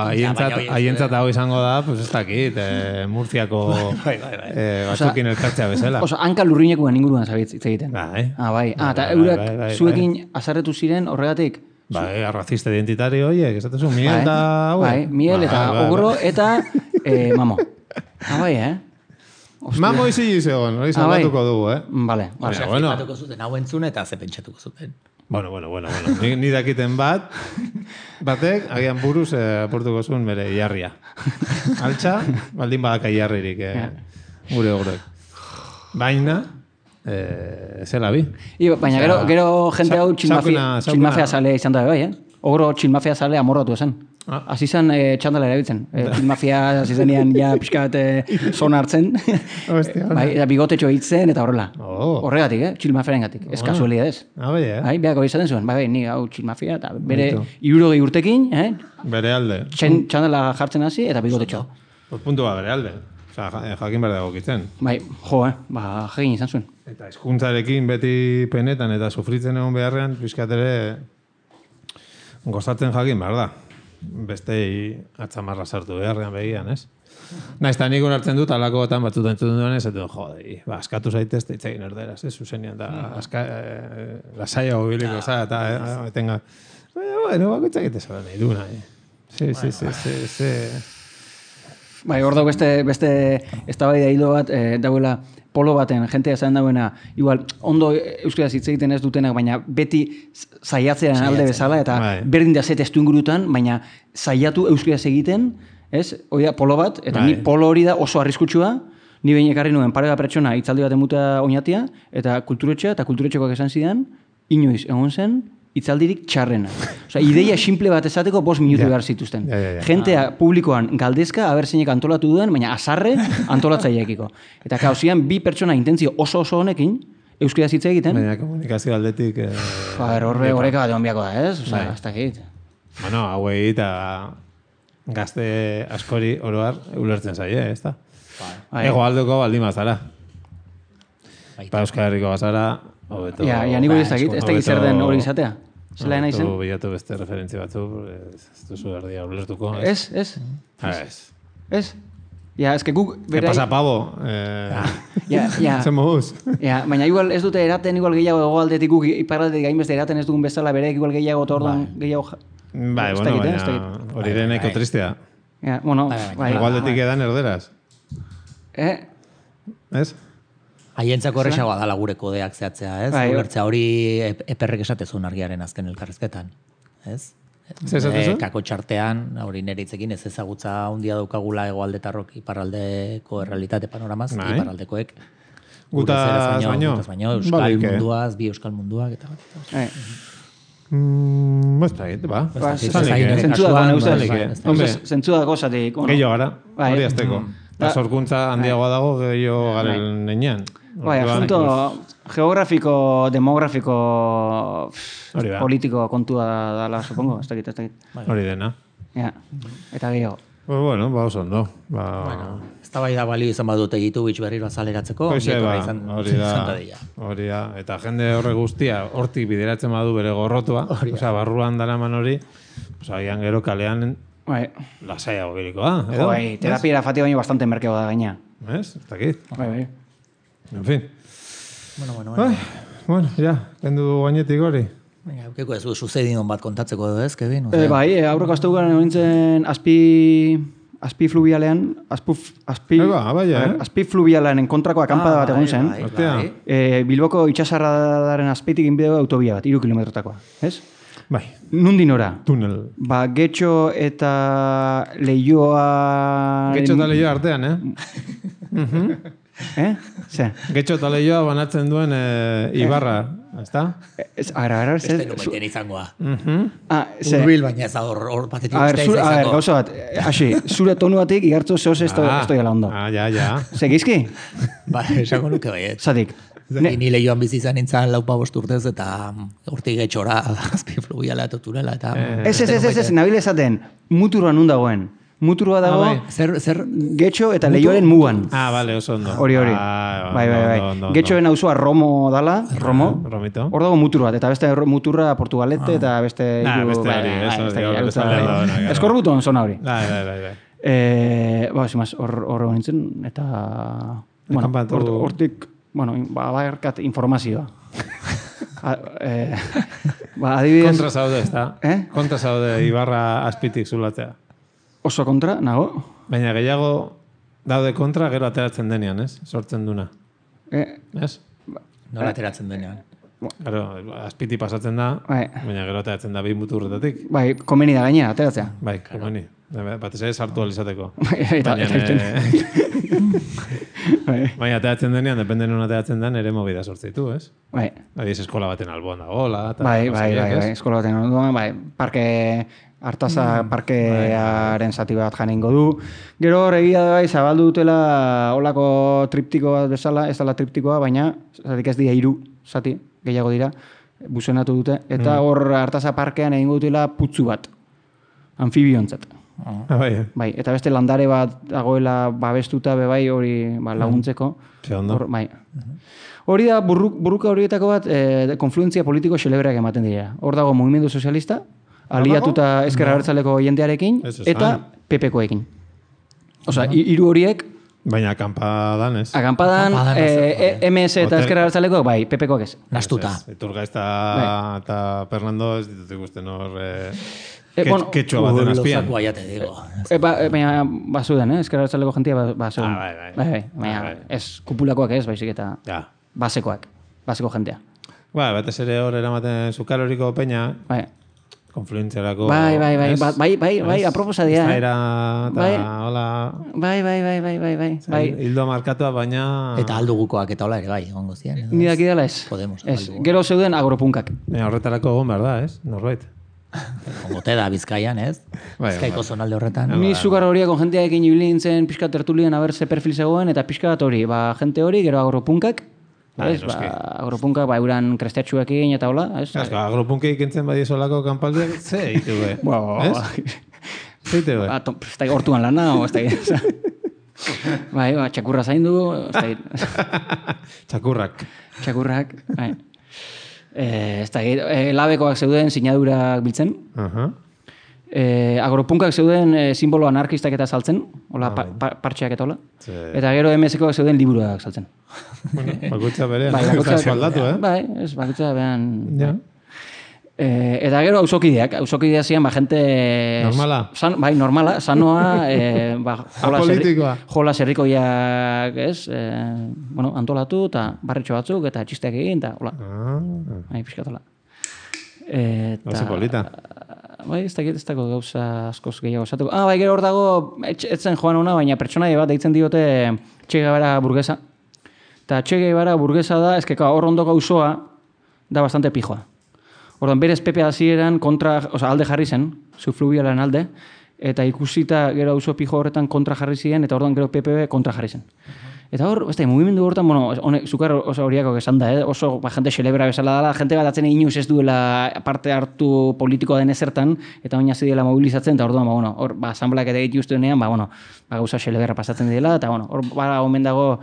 haientzat hau izango da, pues ez dakit, eh, Murtziako bai, bai, bai. eh, batzukin elkartzea bezala. Oso, hanka lurrinekoan inguruan zabitz hitz egiten. Bai. Ah, bai. Ah, eta Bai, eurak bai, bai, zuekin azarretu ziren horregatik? Bai, arrazista identitario horiek, esatezu, miel eta... Bai, miel eta ogro eta eh, mamo. Ah, bai, eh? Mamo izi izegon, hori salbatuko dugu, eh? Vale, vale. Osea, flipatuko zuten hau entzun eta ze pentsatuko zuten. Bueno, bueno, bueno, bueno. Ni, ni dakiten bat, batek, agian buruz eh, aportuko zuen bere iarria. Altxa, baldin badaka iarririk eh, gure ogroek. Baina, eh, zela bi. I, baina gero, gero jente hau txilmafea zale izan da bai, eh? Ogro txilmafea zale amorratu esan. Ah. Asi zen eh, txandala erabiltzen. Eh, txilmafia hasi zenean ja pixka bat eh, zona hartzen. Hostia, bai, eta bigotetxo hitzen eta horrela. Oh. Horregatik, eh? Txilmafearen gatik. Ez Oh. kasualia ez. Ah, bai, eh? Bai, behako izaten zuen. Bai, bai, ni hau txilmafia eta bere hirurogei urtekin, eh? Bere alde. Txen, txandala jartzen hasi eta bigotetxo. Pues puntua bere alde. Osa, jakin behar dago kitzen. Bai, jo, eh? Ba, jagin izan zuen. Eta hizkuntzarekin beti penetan eta sufritzen egon beharrean, pixkat ere gozatzen jakin behar da. Bestei atzamarra sartu beharrean begian, ez? Naiz, eta nik onartzen dut, alako batan batzuta entzuten duen, ez dut, jode, ba, askatu zaitez, eta itzegin erderaz, ez? Zuzenian, da, aska, eh, lasaia hobiliko, za, eta, eh, etenga, baina, bueno, bako itzegite zara nahi du, nahi. Sí, sí, sí, sí, sí. Bai, hor dago beste, beste eztabaida hilo bat, eh, dauela polo baten, jentea zaren dauena, igual, ondo euskaraz hitz egiten ez dutenak, baina beti zaiatzean alde bezala, eta bai. berdin da ze testu ingurutan, baina zaiatu euskaraz egiten, ez? Hori da polo bat, eta bai. ni polo hori da oso arriskutsua, ni behin ekarri nuen pare bat pertsona hitzaldi baten muta oinatia, eta kulturetxea, eta kulturetxekoak esan zidan, inoiz egon zen, hitzaldirik txarrena. Osea, ideia simple bat esateko bost minutu Ja. behar zituzten. Ja, ja, ja. Jentea publikoan galdezka, aber zeinek antolatu duen, baina azarre antolatzaileekiko. Eta kauzian bi pertsona intentzio oso oso honekin, euskaraz hitz egiten. Baina komunikazio aldetik... Eh, A ber, horre horreka bat egon biako da, ez? Osea, Bai. ez dakit. Bueno, hauei eta gazte askori oroar ulertzen zaie, ez da? Bai. Ego aldeko baldin bazara. Baita. Pa Euskal Herriko bazara, hobeto... Ja, ja nik hori ez dakit, ez dakit zer den hori izatea. Zela nahi zen? Hobeto bilatu beste referentzia batzu, ez ez duzu erdia ulertuko. Ez? Ez, ez, Ah, ez. ez. Ja, ez que guk... ¿Qué berai- pasa, pavo? Eh, Ja, ja. Zer moduz? Ja, baina igual ez dute eraten igual gehiago egoaldetik guk iparraldetik gainbeste eraten ez dugun bezala bere igual gehiago eta orduan gehiago... ja- Bai, Ez bueno, dakit, eh, ez baina dakit. hori ere nahiko tristea. Ja, bueno, Bai, bai, bai. Igualdetik edan erderaz. Eh? Ez? Haientzako erresagoa dala gure kodeak zehatzea, ez? Bai, Ulertzea hori ep- eperrek esatezun argiaren azken elkarrezketan, ez? Zer esatezu? Eh, kako txartean, hori nire hitzekin ez ezagutza handia daukagula hegoaldetarrok iparraldeko errealitate panoramaz, Bai. iparraldekoek. Gutaz Gure zerez baino? Gutaz baino, euskal Balik, eh? munduaz, bi euskal munduak, eta bat. eta bat. Bai. Mm, ez da, ba. Zentzu dago, neuzez. Zentzu dago, zatik. Gehiago gara, hori azteko. Da sorkuntza handiagoa dago, gehiago garen nenean. Bai, asunto geografiko, demografiko, politiko kontua dala, supongo, ez dakit, ez dakit. Hori dena. Ja, eta gehiago. Pues bueno, ba, oso ondo. Ba... Bueno, ez da bai da balio izan badute gitu bitx berriro azaleratzeko. Hoxe, ba, hori da, hori da. Eta jende horre guztia, hortik bideratzen badu bere gorrotua, osea, barruan daraman hori, pues, agian gero kalean lasaiago birikoa. Bai, terapia fati baino bastante merkeo da gaina. Ez? Ez dakit. Bai, bai. En fin. Bueno, bueno, bueno. Ai, bueno, ja, kendu gainetik hori. Venga, ukeko ez sucedinon bat kontatzeko edo ez, Kevin? Eh, bai, aurreko asteburuan nintzen azpi azpi fluvialean, azpuf, azpi, ba, bai, eh? azpi fluvialean kontrako akampada bat egon zen. Bai, bai. Eh, Bilboko itxasarradaren azpeitik inbideo autobia bat, iru kilometrotakoa, ez? Bai. Nundin ora? Tunel. Ba, Getxo eta Leioa... Getxo eta Leioa artean, eh? Eh? Ze? Getxo eta Leioa banatzen duen Ibarra, ezta? Ez, ara, ara, ez... Beste numeiten izangoa. Ah, ze... Urbil, baina ez da hor batetik uste izango. A ver, gauza bat, hasi, zure tonu batik igartzu zehoz ez doi ala ondo. Ah, ja, ja. Ze, gizki? Ba, esango nuke baiet. Zatik. Ni Leioan bizi izan nintzen laupa bost urtez eta urtik getxora azpi fluviala eta tunela eta... Ez, ez, ez, ez, ez, nabile esaten, muturua nun dagoen. Muturua dago, zer, zer... Getxo eta Leioaren mugan. Ah, bale, oso ondo. Hori, hori. Bai, bai, bai. Getxoen auzoa Romo dala, Romo. Romito. Hor dago mutur bat, eta beste muturra Portugalete eta beste... Nah, beste hori. Eskorbuton zona hori. Bai, bai, bai, bai. Ba, zimaz, hor nintzen, eta... Bueno, hortik... Bueno, ba, bakarkat informazioa. Ba, adibidez... Kontra zaude, ez da? Eh? Kontra zaude Ibarra azpitik zulatzea. Oso kontra, nago? Baina gehiago daude kontra, gero ateratzen denean, ez? Sortzen duna. Eh? Ez? Nola ateratzen denean. Gero, azpiti pasatzen da, baina gero ateratzen da behin muturretatik. Bai, komeni da gainera, ateratzea. Bai, komeni. Batez ere sartu alizateko. Baina ateratzen denean, depende non ateratzen den, ere movida sortzeitu, ez? Bai. Adiz, eskola baten alboan dagoela. Bai, bai, bai, eskola baten alboan, bai, parke... Artaza parkearen zati bat janingo du. Gero egia da bai, zabaldu dutela olako triptiko bat bezala, ez dela triptikoa, baina zatik ez dira hiru zati, gehiago dira, buzenatu dute. Eta hor Artaza parkean egingo dutela putzu bat, anfibiontzat. Ah, bai. Bai, eta beste landare bat dagoela babestuta be bai hori ba, laguntzeko. Hor, bai. Hori da, burruk, burruka horietako bat, eh, konfluentzia politiko xelebreak ematen dira. Hor dago Mugimendu Sozialista, aliatuta ezker abertzaleko jendearekin, eta P P-koekin. Osa, hiru horiek... Baina akampadan ez. Akampadan, M S eta ezker abertzaleko, bai, P P-koak ez. Nastuta. Iturgaiz eta Fernando ez ditut ikusten hor... Ketxua baten azpian. Baina, bazuden, ezker abertzaleko jentia bazuden. Baina, ez kupulakoak ez, baizik eta basekoak, baseko jentea. Ba, batez ere hor eramaten zukaroriko peña... Bai. Konfluentziarako... Bai, bai, bai, bai, bai, bai, aproposa dira. Zaira, eta hola... Bai, bai, bai, bai, bai, bai. Hildo markatua, baina... Eta aldugukoak eta hola ere, bai, ongo ziren. Ni daki dela ez. Podemos. Ez, gero zeuden agropunkak. Baina horretarako egon behar da, ez? Norbait. Ongote da, Bizkaian, ez? Bizkaiko zonalde horretan. Ni zukar horiak on jentearekin ibili nintzen pixka tertulien haber ze perfil zegoen, eta pixka bat hori, ba, jente hori, gero agropunkak, ez, ba, agropunka, ba, euran krestetxuekin eta hola, ez? Azka, agropunka ikentzen bai esolako kanpaldiak, ze eitu be, ez? Ze eitu be? Ez da hortuan lana, o ez da bai, ba, txakurra zaindu, ez da Txakurrak. Txakurrak, bai. Ez da, labekoak zeuden sinadurak biltzen. Eh, agropunkak zeuden eh, simbolo anarkistak eta saltzen, hola, pa, pa, partxeak eta hola. Eta gero M S koak zeuden liburuak saltzen. Bueno, bakutza berean, bai, bakutza aldatu, eh? Bai, ez, bakutza berean... Ja. Eh, eta gero auzokideak, auzokideak zian, ba, gente... Normala? San, bai, normala, sanoa, eh, ba, jola, serri, jola serrikoiak, ez? Eh, bueno, antolatu, eta barretxo batzuk, eta txisteak egin, eta hola. Ah. Bai, pixkatola. Eta... Oso polita. Bai, ez dakit ez dago gauza askoz gehiago esatuko. Ah, bai, gero hor dago, etzen joan ona, baina pertsonaia bat deitzen diote Che Guevara burgesa. Eta Che Guevara burgesa da, ezkeka hor ondoko auzoa da bastante pijoa. Orduan, berez Pepe hasieran kontra, oza, alde jarri zen, subfluvialaren alde, eta ikusita gero auzo pijo horretan kontra jarri ziren, eta orduan gero Pepe kontra jarri zen. Eta hor, ez da, mugimendu horretan, bueno, honek, zukar oso horiako esan da, eh? Oso ba, jente celebra bezala dela, jente bat atzen inuz ez duela parte hartu politikoa den ezertan, eta baina zidela mobilizatzen, eta orduan, ba, bueno, hor, ba, asamblak eta egitu ustenean, ba, bueno, ba, gauza celebra pasatzen dela, eta, bueno, hor, ba, omen dago,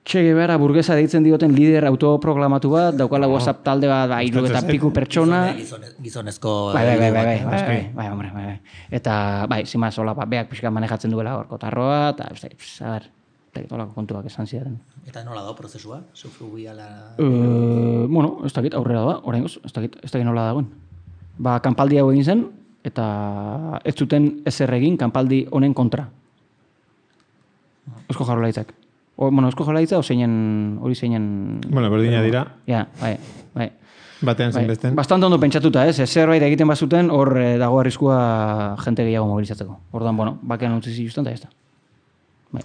Che Guevara burgesa deitzen dioten lider autoproklamatu bat, daukala WhatsApp talde bat, ba, hiru eta piku pertsona. Gizonezko... Bai, bai, bai, bai, bai, bai, bai, hombre, bai, bai. Eta, bai, zimaz, hola, ba, beak pixka manejatzen duela hor, kotarroa, eta, ez da, a ber, eta olako kontuak esan ziren. Eta nola da prozesua? Subfluviala... Uh, bueno, ez dakit, aurrera da, oraingoz, ez dakit, ez dakit nola dagoen. Ba, kanpaldi hau egin zen, eta ez zuten ezer egin kanpaldi honen kontra. Eusko Jaurlaritzak. O, bueno, Eusko Jaurlaritza o zeinen, hori zeinen... Bueno, berdina dira. Ja, bai, bai. Batean zen besten. Bastante ondo pentsatuta, ez? Zerbait egiten bazuten, hor eh, dago arriskua jente gehiago mobilizatzeko. Orduan, bueno, bakean utzi zituzten, eta ez da. Bai.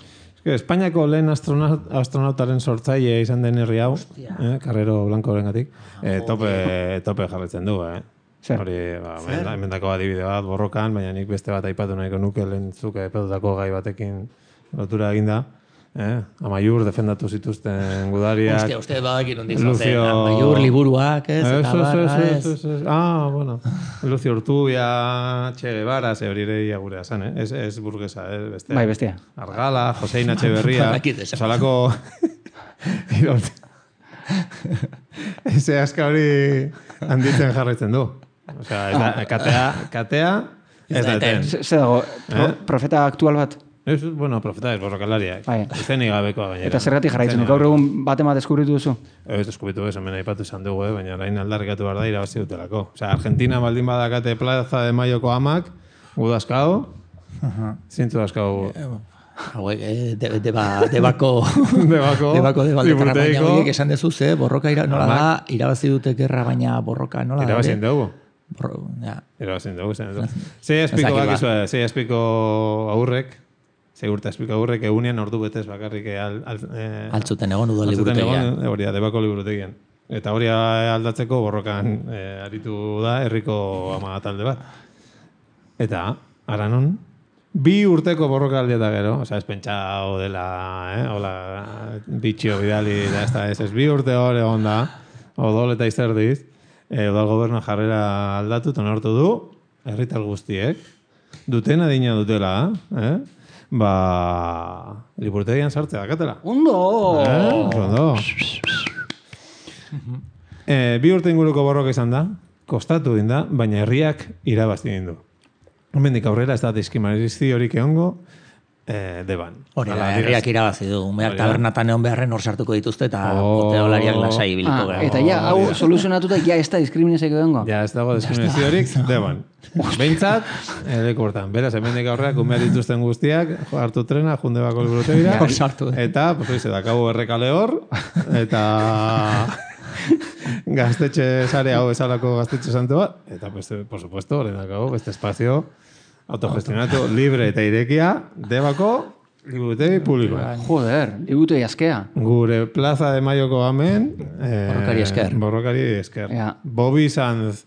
Espainiako lehen astronaut, astronautaren sortzaile izan den herri hau, eh, Carrero Blanco horrengatik, eh, tope, tope jarretzen du, eh? Zer? Hori, ba, emendako adibide bat borrokan, baina nik beste bat aipatu nahiko nuke lehen zuke epedutako gai batekin lotura eginda. Eh? Amaiur defendatu zituzten gudariak. Hostia, uste badakin hondik zozen. Amaiur liburuak, ez? Eso, eso, eso, eso. Ah, bueno. Lucio Urtubia, Che Guevara, ze hori ere gure asan, eh? Ez, ez burguesa, eh? Bestea. Bai, bestea. Argala, Josein Etxeberria. Salako... Eze aska hori handitzen jarraitzen du. Osea, katea, katea, ez da eten. Zer dago, profeta aktual bat? Ez, bueno, profeta ez, borrokalariak. Bai. Izenik gabekoa gainera. Eta zergatik jarraitzen du, gaur egun bat ema deskubritu duzu? Ez deskubritu ez, hemen aipatu izan dugu, eh? Baina orain aldarrikatu behar da irabazi dutelako. Osea, Argentina baldin badakate Plaza de Mayoko amak, gu dazkau, zintzu dazkau... Hauek, eh, debako... Debako... Debako, baina horiek esan dezu, ze, borroka ira, nola da, irabazi dute gerra, baina borroka nola da. Irabazien dugu. Ja. Irabazien dugu, zen dugu. Zei espiko bakizua, zei espiko aurrek, Segurta espika hurrek egunean ordu betez bakarrik al, al, eh, altzuten egon udal liburutegian. Hori da, debako liburutegian. Eta hori aldatzeko borrokan eh, aritu da herriko ama talde bat. Eta, aranon, bi urteko borroka aldi eta gero, oza, ez pentsao dela, eh, hola, bitxio bidali, da ez da, ez ez bi urte hori egon da, odol eta izerdiz, eh, odal gobernu jarrera aldatu, tonortu du, herritar guztiek, duten adina dutela, eh? Ba, liburutegian sartzea dakatela. Ondo! Eh, ondo. eh, bi urte inguruko borroka izan da, kostatu din da, baina herriak irabazti din du. Hemendik aurrera ez da diskriminazio horik egongo, eh, deban. Hori da, herriak irabazi du. Umeak tabernatan egon beharren hor sartuko dituzte eta poteolariak lasai ibiliko gara. Eta ja, hau soluzionatuta, ja ez da diskriminazio egongo. Ja, ez dago diskriminazio horik, deban. Behintzat, leku hortan. Beraz, hemendik aurreak umeak dituzten guztiak, hartu trena, junde bako liburutegira, eta, pues oize, dakabu errekale hor, eta gaztetxe sare hau esalako gaztetxe santu bat, eta, pues, por supuesto, horren dakabu, beste espazio autogestionatu, libre eta irekia, debako liburutegi publikoa. Joder, liburutegi askea. Gure Plaza de Mayoko amen, eh, borrokari esker. Borrokari esker. Ja. Bobby Sanz,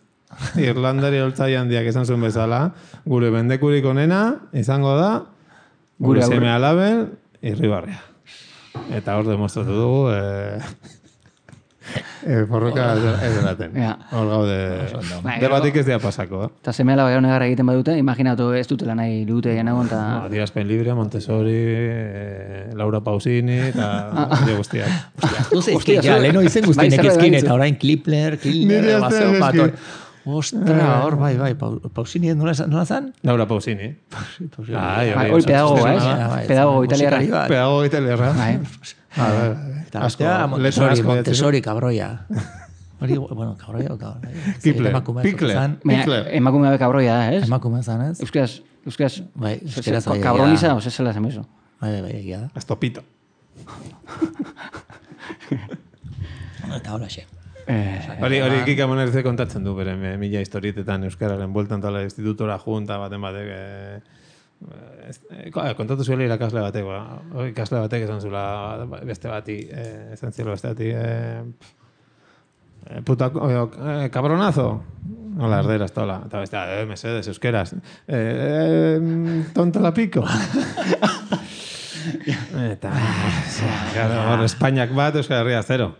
Irlandari oltzai handiak esan zuen bezala, gure bendekurik onena izango da, gure, gure seme alaben, irribarria. Eta hor demostratu dugu, eh, eh, borroka ez delaten. Ja. Hor gaude, debatik ez dira pasako. Eh? Eta seme alaba negarra egiten badute, imaginatu ez dutela nahi liburutegi egon, eta... No, Adierazpen Libre, Montessori, eh, Laura Pausini, eta hori guztiak. Hostia, ja, leheno izen guztienek ezkin, eta orain Klipler, Kilner, Baseo, Pator... Ostra, hor, bai, bai, Pausini, nola zan? Laura Pausini. Hori pedagogo, eh? Pedagogo italiarra. Pedagogo italiarra. Eta astea, Montessori, Montessori, kabroia. Hori, bueno, kabroia o kabroia. Kipler, Pikler. Emakume gabe kabroia da, ez? Emakume zan, ez? Euskaraz, euskaraz. Bai, euskaraz bai. Kabroniza, ose zela zen beso. Bai, bai, egia da. Astopito. Eta hola xe. Hori, hori Kika Monerze kontatzen du, bere mila historietetan euskararen bueltan tala institutora junta baten batek, kontatu zuela irakasle batek, ikasle batek esan zula beste bati, esan zielo beste bati, eh, puta, eh, cabronazo. Hola, erderaz, eta hola. Eta bestea, eh, mesedes, euskeraz. Eh, eh, tonta la pico. Eta, hor, Espainiak bat, Euskal Herria zero.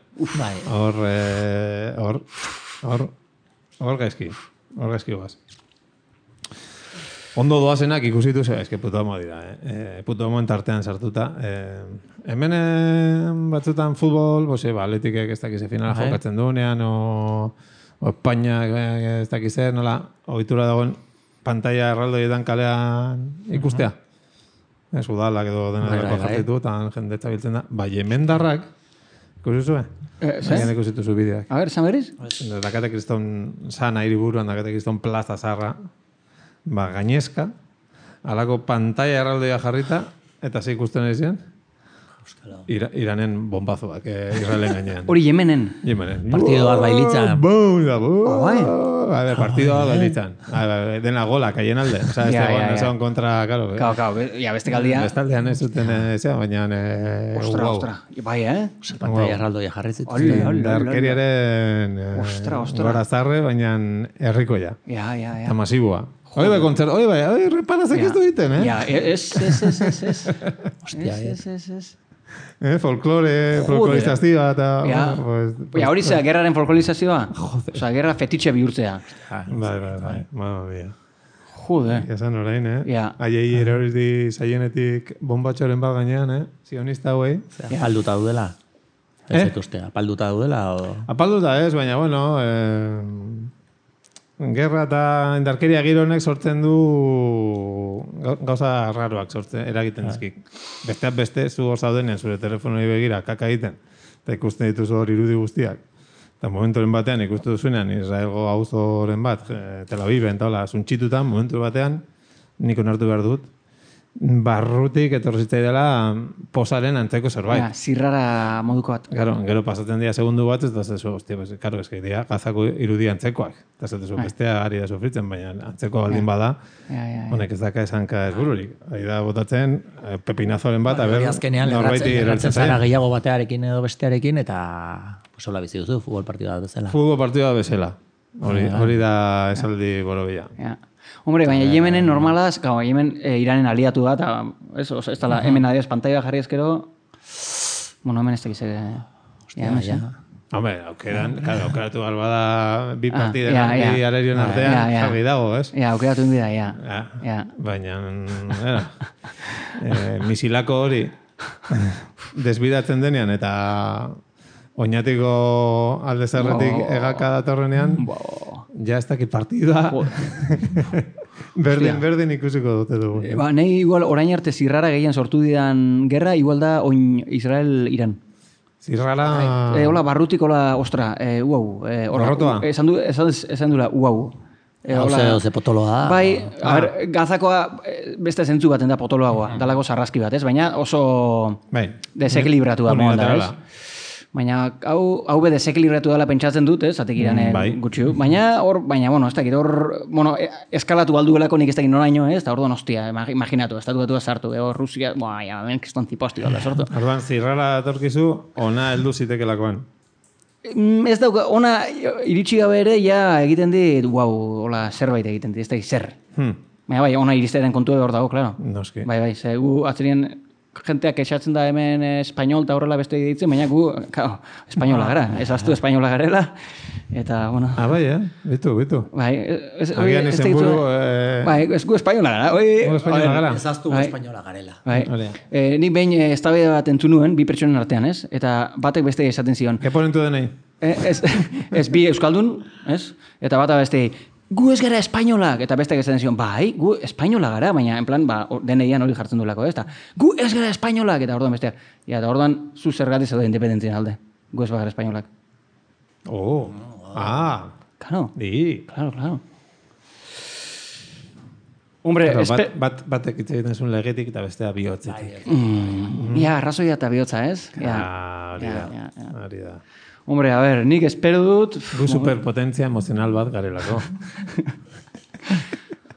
Hor, eh, hor, hor, hor gaizki. Hor gaizki guaz. Ondo doazenak ikusitu ze, eske puto homo dira, eh? E, puto homo entartean sartuta. E, hemen e, batzutan futbol, bose, ba, atletikek ez dakize finala jokatzen duenean, o, o Espainia ez dakize, nola, ohitura dagoen pantalla erraldoietan kalean ikustea. Ez udalak edo dena dako jartitu, eta jende txabiltzen da. Ba, jemendarrak, ikusi zuen? Eh, Zagen ikusitu zu bideak. A ver, ¿saberiz? Dakate kriston sana hiriburuan, dakate kriston plaza zarra, ba, gainezka, alako pantalla erraldoia jarrita, eta ze ikusten ezien? Ira, Iranen bombazoak, eh, Israelen gainean. Hori Yemenen? Yemenen. Partido bat bailitzan. Bum, da, bum. A ver, partido bat bailitzan. Dena gola, kaien alde. O sea, este gol, no son kontra, claro. Claro, claro. Ya, beste kaldia. Beste aldean ez zuten, ezea, baina... Ostra, ostra. Bai, eh? Pantalla erraldoia jarritzen. Darkeriaren gora zarre, baina herrikoia. Ja, ja, ja. Eta masiboa. Hoi bai, kontzert, hoi bai, hoi reparazek ez du egiten, eh? Ja, ez, ez, ez, ez, ez. Hostia, ez, ez, ez. Eh, folklore, folklorizazioa, eta... Ja, ja hori zera, gerraren folklorizazioa. Osa, gerra fetitxe bihurtzea. Bai, bai, bai, mamma mia. Jode. Esan orain, eh? Ja. Aiei eroriz di zaienetik bombatxoren bat gainean, eh? Zionista hauei. Apalduta daudela. Ez etuzte, apalduta daudela, o... Apalduta ez, baina, bueno... Eh, Gerra eta indarkeria giro honek sortzen du gauza raroak sortzen, eragiten dizkik. Besteak beste, zu hor zaudenean zure telefonoi begira kaka egiten, eta ikusten dituzu hor irudi guztiak. Eta momenturen batean ikustu duzuenean Israelgo auzoren bat, Tel Aviven, eta hola, zuntxitutan, momentu batean, nik onartu behar dut, barrutik etorri zitzaidela posaren antzeko zerbait. Ja, zirrara moduko bat. Gero, gero pasatzen dira segundu bat, ez da zezu, hostia, pues, karo, eski dira, gazako irudi antzekoak. Eta zezu, bestea ari da sufritzen, baina antzeko baldin bada, honek ez daka esanka ez bururik. Ari da botatzen, pepinazoren bat, aber, norbaiti erortzen zara gehiago batearekin edo bestearekin, eta sola bizi duzu, futbol partida bezala. Futbol partida bezala. Hori da esaldi borobila. Ja. Hombre, baina Yemenen normalaz, gau, Yemen e, Iranen aliatu da, eta ez, ez tala, hemen adiaz pantalla jarri ezkero, bueno, hemen ez tekize... Hostia, ja. Hombre, aukeran, claro, aukeratu galba da bi partiden ah, ja, ja. Arerion artean, ja, ja. Jarri dago, ez? Ja, aukeratu inbida, ja. Ja, ja. Baina, era, e, misilako hori desbidatzen denean, eta oinatiko alde zerretik oh. Egaka datorrenean, oh. Ja ez dakit partida. berdin, berdin ikusiko dute dugu. E, ba, nahi igual orain arte zirrara gehien sortu didan gerra, igual da oin Israel-Iran. Zirrara... E, hola, barrutik, hola, ostra, e, uau. E, Barrotoa? Esan du, esan, esan dula, uau. E, Hauze, oze potoloa da. Bai, ah. a ber, gazakoa beste zentzu baten da potoloagoa, mm. dalako sarraski bat, ez? Baina oso bai. Desekilibratu da moan da, ez? Baina hau hau be desekilibratu dela pentsatzen dut, ez? Zatek Iranen mm, bai. Gutxiu. Baina hor, baina bueno, ez dakit hor, bueno, eskalatu alduelako nik ez dakit noraino, ez? Ta orduan hostia, imaginatu, estatu batua sartu, hor Rusia, boa, ja, ben kriston tiposti da sortu. Orduan zirrara datorkizu ona heldu zitekelakoan. Ez dauka, ona iritsi gabe ere ja egiten dit, wow, hola, zerbait egiten dit, ez dakit zer. Hmm. Baina bai, ona iristeren kontu hor dago, claro. Noski. Bai, bai, ze gu atzerien jenteak esatzen da hemen espainol eta horrela beste ditzen, baina gu, claro, espainola gara, ez aztu espainola garela, eta, bueno... Ah, bai, eh? Bitu, bitu. Bai, ez... Agian izen buru... Eh... Bai, ez gu espainola gara, oi... espainola gara. Ez aztu bai. Espainola garela. Bai, eh, nik behin ez tabe bat entzu nuen, bi pertsonen artean, ez? Eta batek beste esaten zion. Ke ponentu denei? Eh, ez, ez bi euskaldun, ez? Eta bata beste... Gu ez gara espainolak, eta beste esaten zion, bai, gu espainola gara, baina, en plan, ba, deneian hori jartzen duelako, ez da, gu ez gara espainolak, eta orduan besteak. Ja, eta orduan, zu zergatik zaude independentzien alde, gu ez gara espainolak. Oh, ah. Claro. Di. Claro, claro. Hombre, claro, espe... bat, bat, batek hitz egiten zuen legetik eta bestea bihotzetik. Mm, ja, arrazoia eta bihotza, ez? Ja, hori da, ja, ja. hori da. Hombre, a ver, nik espero dut... Gu superpotentzia emozional bat garelako.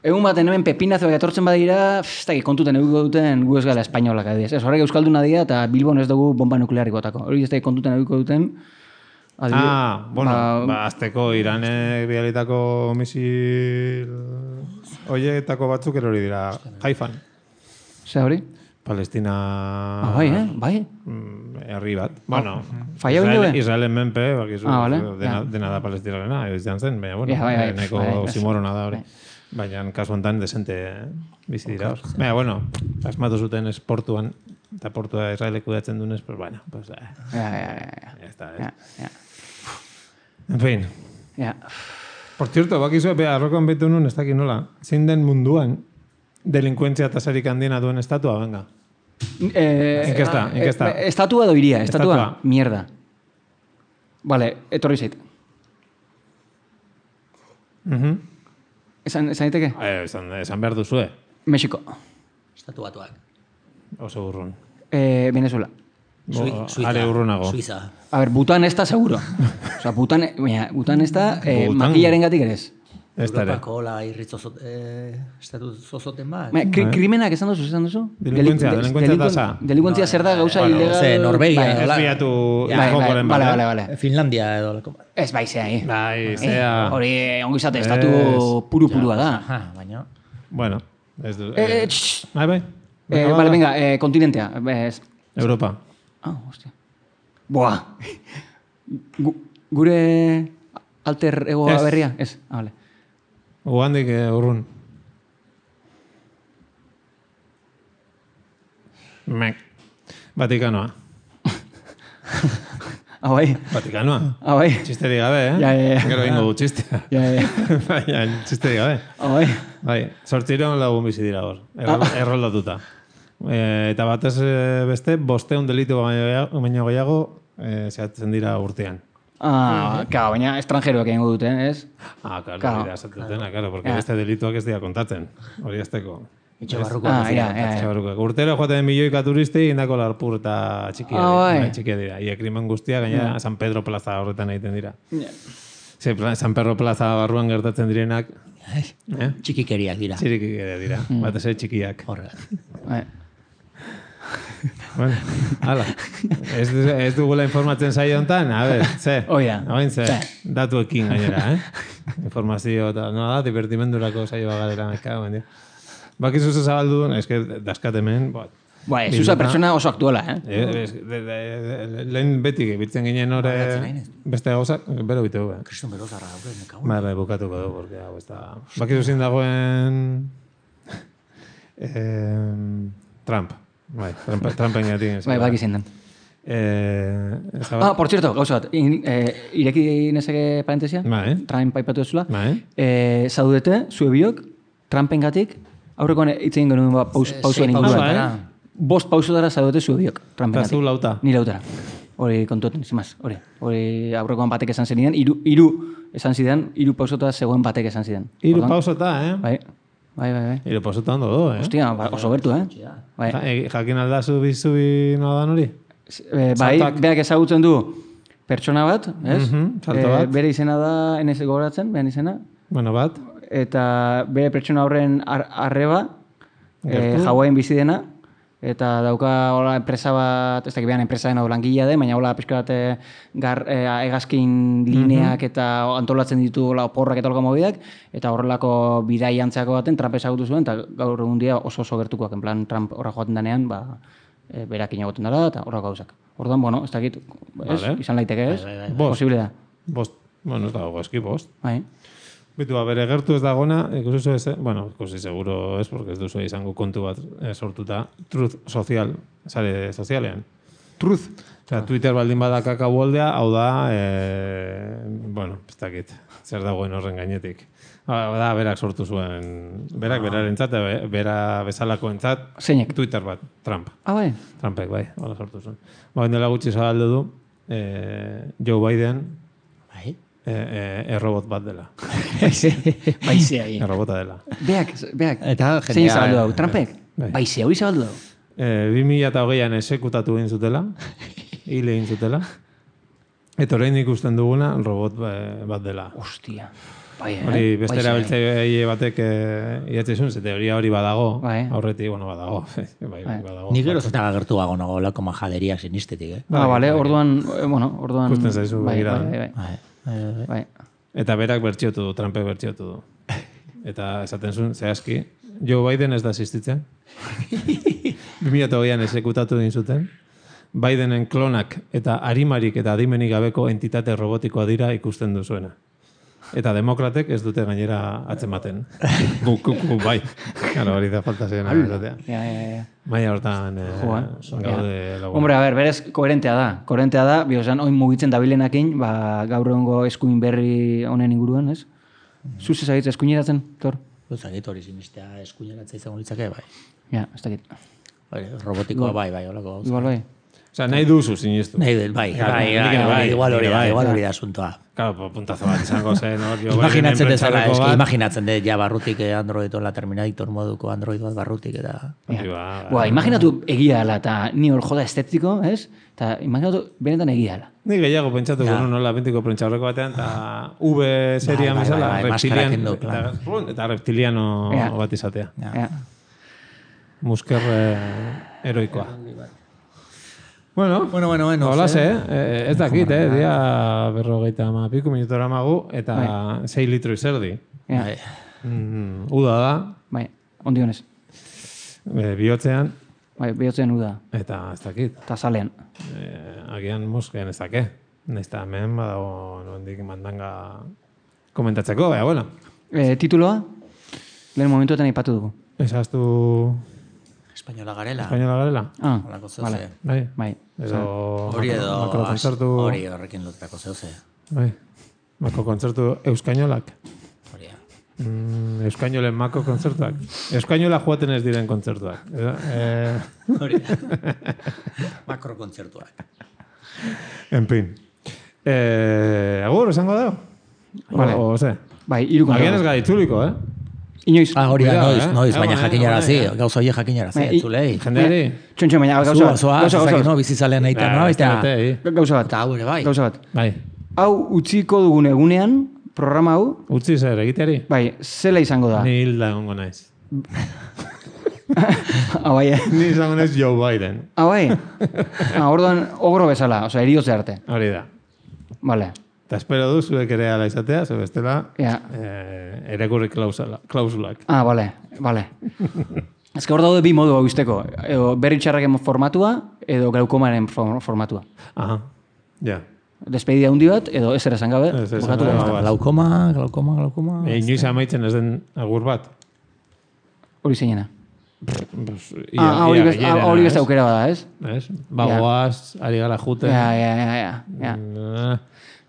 Egun baten hemen pepinazo etortzen badira, ez dakit kontuten eguko duten gu ez gara espainolak adiez. Ez horrek euskalduna dira eta Bilbon ez dugu bomba nuklearik botako. Hori ez dakit kontuten eguko duten, Ah, bueno, ba, ba azteko Iranek bialitako misil hoietako batzuk erori dira Haifan. Ze hori? Palestina... Ah, bai, eh? Bai. Herri bat. Bueno, Faia Israel, Israelen menpe, bakizu, ah, vale. dena, ja. dena da palestinarena, izan zen, baina, bueno, ja, bai, bai, neko bai, bai, simorona da hori. Bai. Baina, kasu honetan, desente bizi dira. Okay. Baina, bueno, asmatu zuten esportuan, eta portua Israelek kudeatzen dunez, pues, bueno, pues, eh. Ja, ja, ja, ja. Ya está, ja, ja. En fin. Ja. Por cierto, bakizu, be, arrokoan betu nun, ez dakit nola, zein den munduan, delinkuentzia tasarik handiena duen estatua, venga. Eh, inkesta, inkesta. Eh, estatua edo iria, estatua. Estatua. Mierda. Vale, etorri zait. Uh-huh. Esan, esan diteke? Eh, esan, esan behar duzue. Mexiko. Estatu batuak. Oso urrun. Eh, Venezuela. Suiza. Are urrunago. Suiza. A ver, Bután ez da, seguro. O sea, Bután, baina, Bután ez da, eh, Bután. makillaren gatik ere ez. Ez da ere. Europako la irritzozot, eh, estatu zozoten bat. Baina, kri, krimenak esan duzu, esan duzu? Delinkuentzia, Deli- delinkuentzia delinkuen- tasa. Delinkuentzia zer da, gauza bueno, ilegal... ze, Norvegia, Bai, hola. Ez biatu bai, jokoren bai, bat, vale, eh? vale, vale. Finlandia edo lako bat. Ez bai, zea, eh? Bai, Eh, zea. hori, ongo izate, estatu Ez. puru-purua da. Aha, baina... Bueno, ez du... Eh, Eh, tx. bai, bai. Eh, vale, venga, eh, kontinentea. Ez. Europa. Ah, hostia. Boa. Gu, gure alter ego Ez. berria? Ez. Ah, vale. Ugandik eh, urrun. Mek. Vatikanoa. Ah, bai. Vatikanoa. Ah, bai. Txisterik gabe, eh? Ja, ja, ja. Gero ingo du txistea. Ja, ja. Baina, txisterik gabe. Ah, bai. Bai, sortzireon lagun bizi dira hor. Errol, erroldatuta. E, eta batez eh, beste, bosteun delitu baino baino gehiago eh, zehatzen dira urtean. Ah, claro, baina estranjeroak egingo dute, ez? Ah, claro, Claro. hori da esatutena, claro, porque Ja. beste delituak ez dira kontatzen. Hori azteko. Itxo barruko. Ah, ja, ja, ja. Etxabarrukoak. Urtero joaten milioika turistei indako larpur eta txikia Ah, dira. bai. Bai, txikia dira. Ia krimen guztia, gaina San Pedro Plaza horretan egiten dira. Ze, pla- San Pedro Plaza barruan gertatzen direnak, eh? Txikikeriak dira. Txiriki dira, batez ere txikiak. Horre. Bai. Bueno, hala. Ez, du- ez dugula informatzen saio hontan, a ber, ze? Hoi da. Hain ze, Ze. datuekin gainera, eh? Informazio eta, no da, divertimendurako saioa galera, meka, baina. Bakizu ze zabaldu duen, eske daskat hemen, bat. Bai, zuza pertsona oso aktuala, eh? Eh, es- de- de- de- lehen beti biltzen ginen hori beste gauzak, bero bitu, eh? Kriston berozarra daude, nekago. Bai, bai, bukatuko du, porque hau ez da... Bakizu zin dagoen... eh, Trump. Bai, Trump, Trumpen gatik. Bai, baki zein den. Eh, ez da- Ah, por cierto, gauza bat, in, eh, ireki nezake parentesia, Bai. Trump aipatu ezula, Bai. eh, zaudete, zue biok, Trumpen gatik, aurrekoan hitz egin genuen ba, paus, pausuen sei inguruan. pausutara. Bost pausotara zaudete zue biok, Trumpen Eta zu gatik. lauta. Ni lautara. Hori kontuetan, zimaz, hori. Hori aurrekoan batek esan zenidan, iru, iru esan zidan, iru pausotara zegoen batek esan zidan. Hiru Orduan, pausota, eh? Bai, bai, bai, bai. Hiru pausota ondo du, eh? Hostia, ba, oso gertu, eh? Bai. Ja, e, jakin aldazu bizubi nola dan hori? Eh, bai, Saltak. beak ezagutzen du pertsona bat, ez? Mhm, salto Eh, bat. bere izena da, enez gogoratzen, bere izena, Bueno, bat. eta bere pertsona horren ar arreba, eh, Gertu. Hawaien bizi dena, eta dauka hola enpresa bat, ez dakit behan enpresa dena langilea den, baina hola pixka bat eh, gar, eh, egazkin lineak eta antolatzen ditu hola oporrak eta holako mobidak, eta horrelako bidaiantzako baten Trump ezagutu zuen, eta gaur egun dia oso oso gertukoak, en plan Trump horra joaten denean, ba, e, berakin egoten dara, eta horrako gauzak. Orduan, bueno, ez dakit, ez? Vale. Izan laiteke, ez? Bost. Posible da. Bost. Bueno, ez dago eski bost. Bai. Bitu, bere gertu ez dagona, ikusi zu ez, bueno, ikusi seguro ez, porque ez duzu izango kontu bat eh, sortuta, truth sozial, sare sozialean. Truth. Osea, Twitter baldin bada kakao holdea, hau da, eh, bueno, ez dakit, zer dagoen horren gainetik. Hau da, berak sortu zuen, berak berarentzat, be- bera bezalakoentzat, Zeinek? Twitter bat, Trump. Ah, bai. Trumpek, bai, hola sortu zuen. Ba, dela gutxi zabaldu du, eh, Joe Biden, Bai. eh, eh, errobot bat dela. Baizea, hi. Errobota dela. Beak, beak. Eta Zein jendea- zabaldu hau, Trumpek? Bai. Baizea, hori zabaldu hau. Eh, bi mila hogeian esekutatu egin zutela, hile egin zutela, Eta orain ikusten duguna robot bat dela. Ostia. Bai, eh? Hori beste Bai, erabiltzaile batek idatzizun, ze teoria hori badago, bai. Aurretik, bueno, badago. bai, bai, badago. Ni gero zeta agertu gago nago lako majaderiak sinistetik, eh? Ah, bale, orduan, eh, bueno, orduan... Ikusten zaizu bai, begira. bai, bai, bai. bai. Eta berak bertxiotu du, Trumpek bertxiotu du. Eta esaten zuen, zehazki, Joe Biden ez da asistitzen. bi mila hogeian esekutatu din zuten. Bidenen klonak eta arimarik eta adimenik gabeko entitate robotikoa dira ikusten duzuena. Eta demokratek ez dute gainera atzematen. Gu, gu, gu, bai. Claro, hori da falta zen. Ja, ja, ja. Baina hortan eh, gaude lagun. Hombre, a ver, berez, koherentea da. Koherentea da, biozan, oin mugitzen dabilenakin, ba, gaur egongo eskuin berri honen inguruan, ez? Zuz ezagitza eskuineratzen, Tor? Zagit hori sinistea eskuineratza izango litzake, bai. Ja, ez dakit. Robotikoa bai, bai, holako. Igual bai. Osa, nahi duzu sinistu. Nahi del, bai, bai, bai, igual hori da, igual hori da asuntoa. Claro, puntazo bat izango zen, no? Imaginatzen dezala, eski, imaginatzen dut, ja barrutik Android la Terminator moduko Android bat barrutik eta... Boa, imaginatu egia ala, eta ni hor joda estetiko, ez? Eta imaginatu benetan egia ala. Ni gehiago pentsatu gonu nola bentiko prentxaurreko batean, eta V serian bezala, reptilian, eta reptiliano bat izatea. Musker heroikoa. Bueno, bueno, bueno, bueno. Hola, eh? eh? Ez dakit, eh? Dia berrogeita ama piku minutora magu, eta sei litro izerdi. Bai. Mm, uda da. Bai, ondi honez. E, bihotzean. Bai, bihotzean uda. Eta ez dakit. Eta salean. E, agian moskean ez dake. Naizta hemen badago nondik mandanga komentatzeko, baina, bueno. E, tituloa? Lehen momentuetan aipatu dugu. Esaztu... Espainola garela. Espainola garela. Ah, vale. Bai. Bai. Edo... Hori edo... Makrokontzertu... Hori horrekin lotrako zeuze. Bai. Makrokontzertu euskainolak. Hori da. Mm, euskainolen mako kontzertuak. Euskainola joaten ez diren kontzertuak. Eh... Hori da. Makrokontzertuak. En fin. Eh, agur, esango da? Vale. O, o ze? Bai, irukontra. Agian ez gara itzuliko, eh? Inoiz. Ah, hori da, noiz, noiz, baina jakinarazi, gauza hori jakinarazi, entzulei. Jendeari? Txontxo, baina gauza bat. Gauza bat, no, bizizalean nahi no, baita. Gauza bat. Eta hau ere bai. Gauza bat. Bai. Hau utziko dugun egunean, programa hau. Utzi zer, egiteari? Bai, zela izango da. Ni hilda egongo naiz. Ah, bai, eh? Ni izango naiz Joe Biden. Ah, bai. Ah, orduan, ogro bezala, oza, eriotze arte. Hori da. Vale. Eta espero du, zuek ere ala izatea, ze bestela, ja. eh, erekurri klausulak. Ah, vale, vale. Ez que hor daude bi modu hau izteko. Edo berri txarraken formatua, edo glaukomaren formatua. Aha, ja. Despedida hundi bat, edo ez ere zangabe. Glaukoma, glaukoma, glaukoma. E, inoiz amaitzen ez den agur bat. Hori zeinena. Ah, hori beste aukera bada, ez? Ez? Bagoaz, ari gara juten. Ja, ja, ja, ja.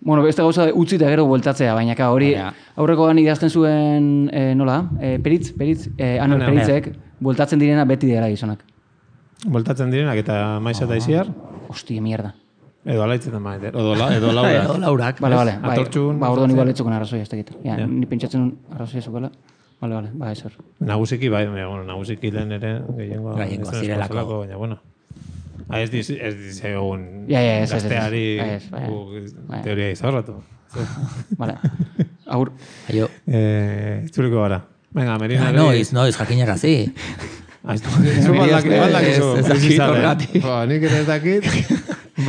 Bueno, beste gauza utzi eta gero bueltatzea, baina ka hori aurrekoan idazten zuen, eh, nola, eh, peritz, peritz, eh, Anuel Peritzek, bueltatzen direna beti dira gizonak. Bueltatzen direnak eta maiz eta iziar? Hostia, mierda. Edo alaitzen da maite, edo, la, edo laurak. Edo laurak. Bale, bale, bai, Atortxun, ba, orduan igual etzukon arrazoi ez dakit. Ja, ni pentsatzen arrazoi ezukela. Bale, bale, ba, ez hor. Nagusiki, bai, bueno, nagusiki lehen ere, gehiengoa. Gehiengoa zirelako. Baina, bueno. Ha, ez diz, ez diz egun ja, ja, ez, gazteari ez, ez, ez, teoria izorratu. Vale. Agur. Aio. Eh, itzuliko gara. Venga, Merina. Noiz, noiz, jakinarazi. Zu baldak izu. Ez dakit horgatik. Nik ez dakit.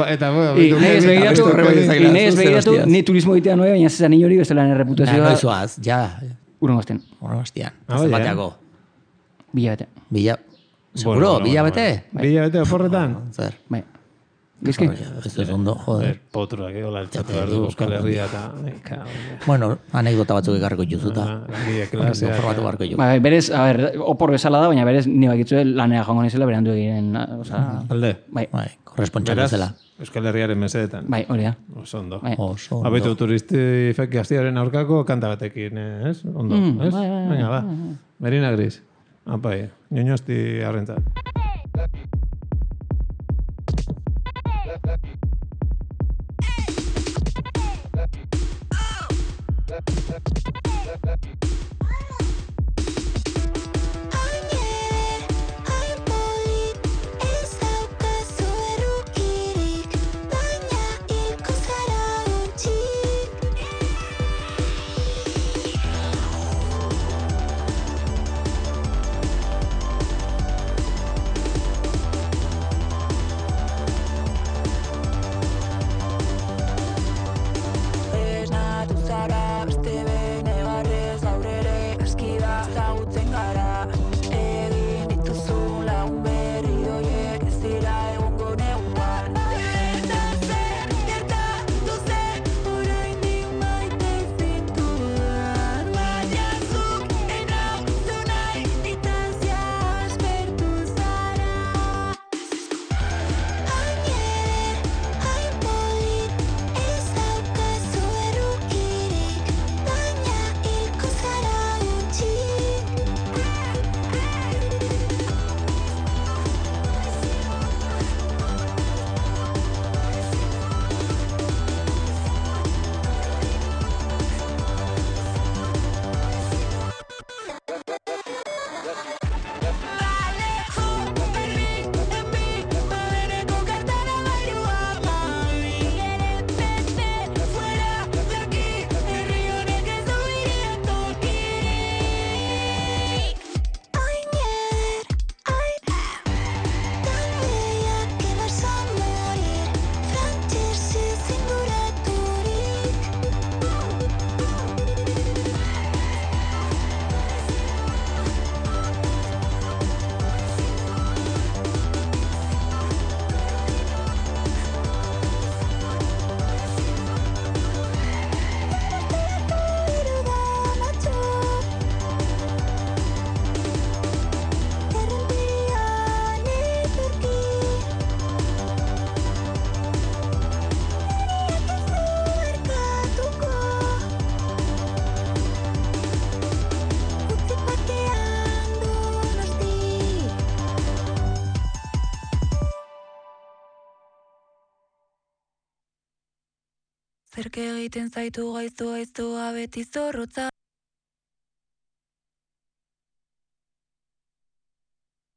Eta, bueno, Nahi ez begiratu, ni turismo egitea noe, baina zezan hori bestela nire reputazioa. Noizoaz, ja. Urren gozten. Urren goztian. Azten bateako. Bila bete. Bila. Seguro, bila bete? Bila bete, oporretan? Zer. Bai. Gizki? Ez ez ondo, joder. Potruak, hola, eltzatu behar du, Euskal Herria eta... Bueno, anekdota batzuk ekarriko juzuta. Formatu barko ju. Bai, berez, a ber, opor bezala da, baina berez, nire bakitzue lanea joango nizela, berandu egin, oza... Alde? Bai. Bai, korrespontxan bezala. Euskal Herriaren mesedetan. Bai, hori da. Oso ondo. Oso ondo. Abetu turistifek gaztiaren aurkako kanta batekin, ez? Ondo, ez? Venga, ba. Merina Gris. Apai, ñoñosti arrentzat. Ez daukazu errukirik, baina hilko zara. Zerke egiten zaitu gaiztu gaiztua beti zorrotza.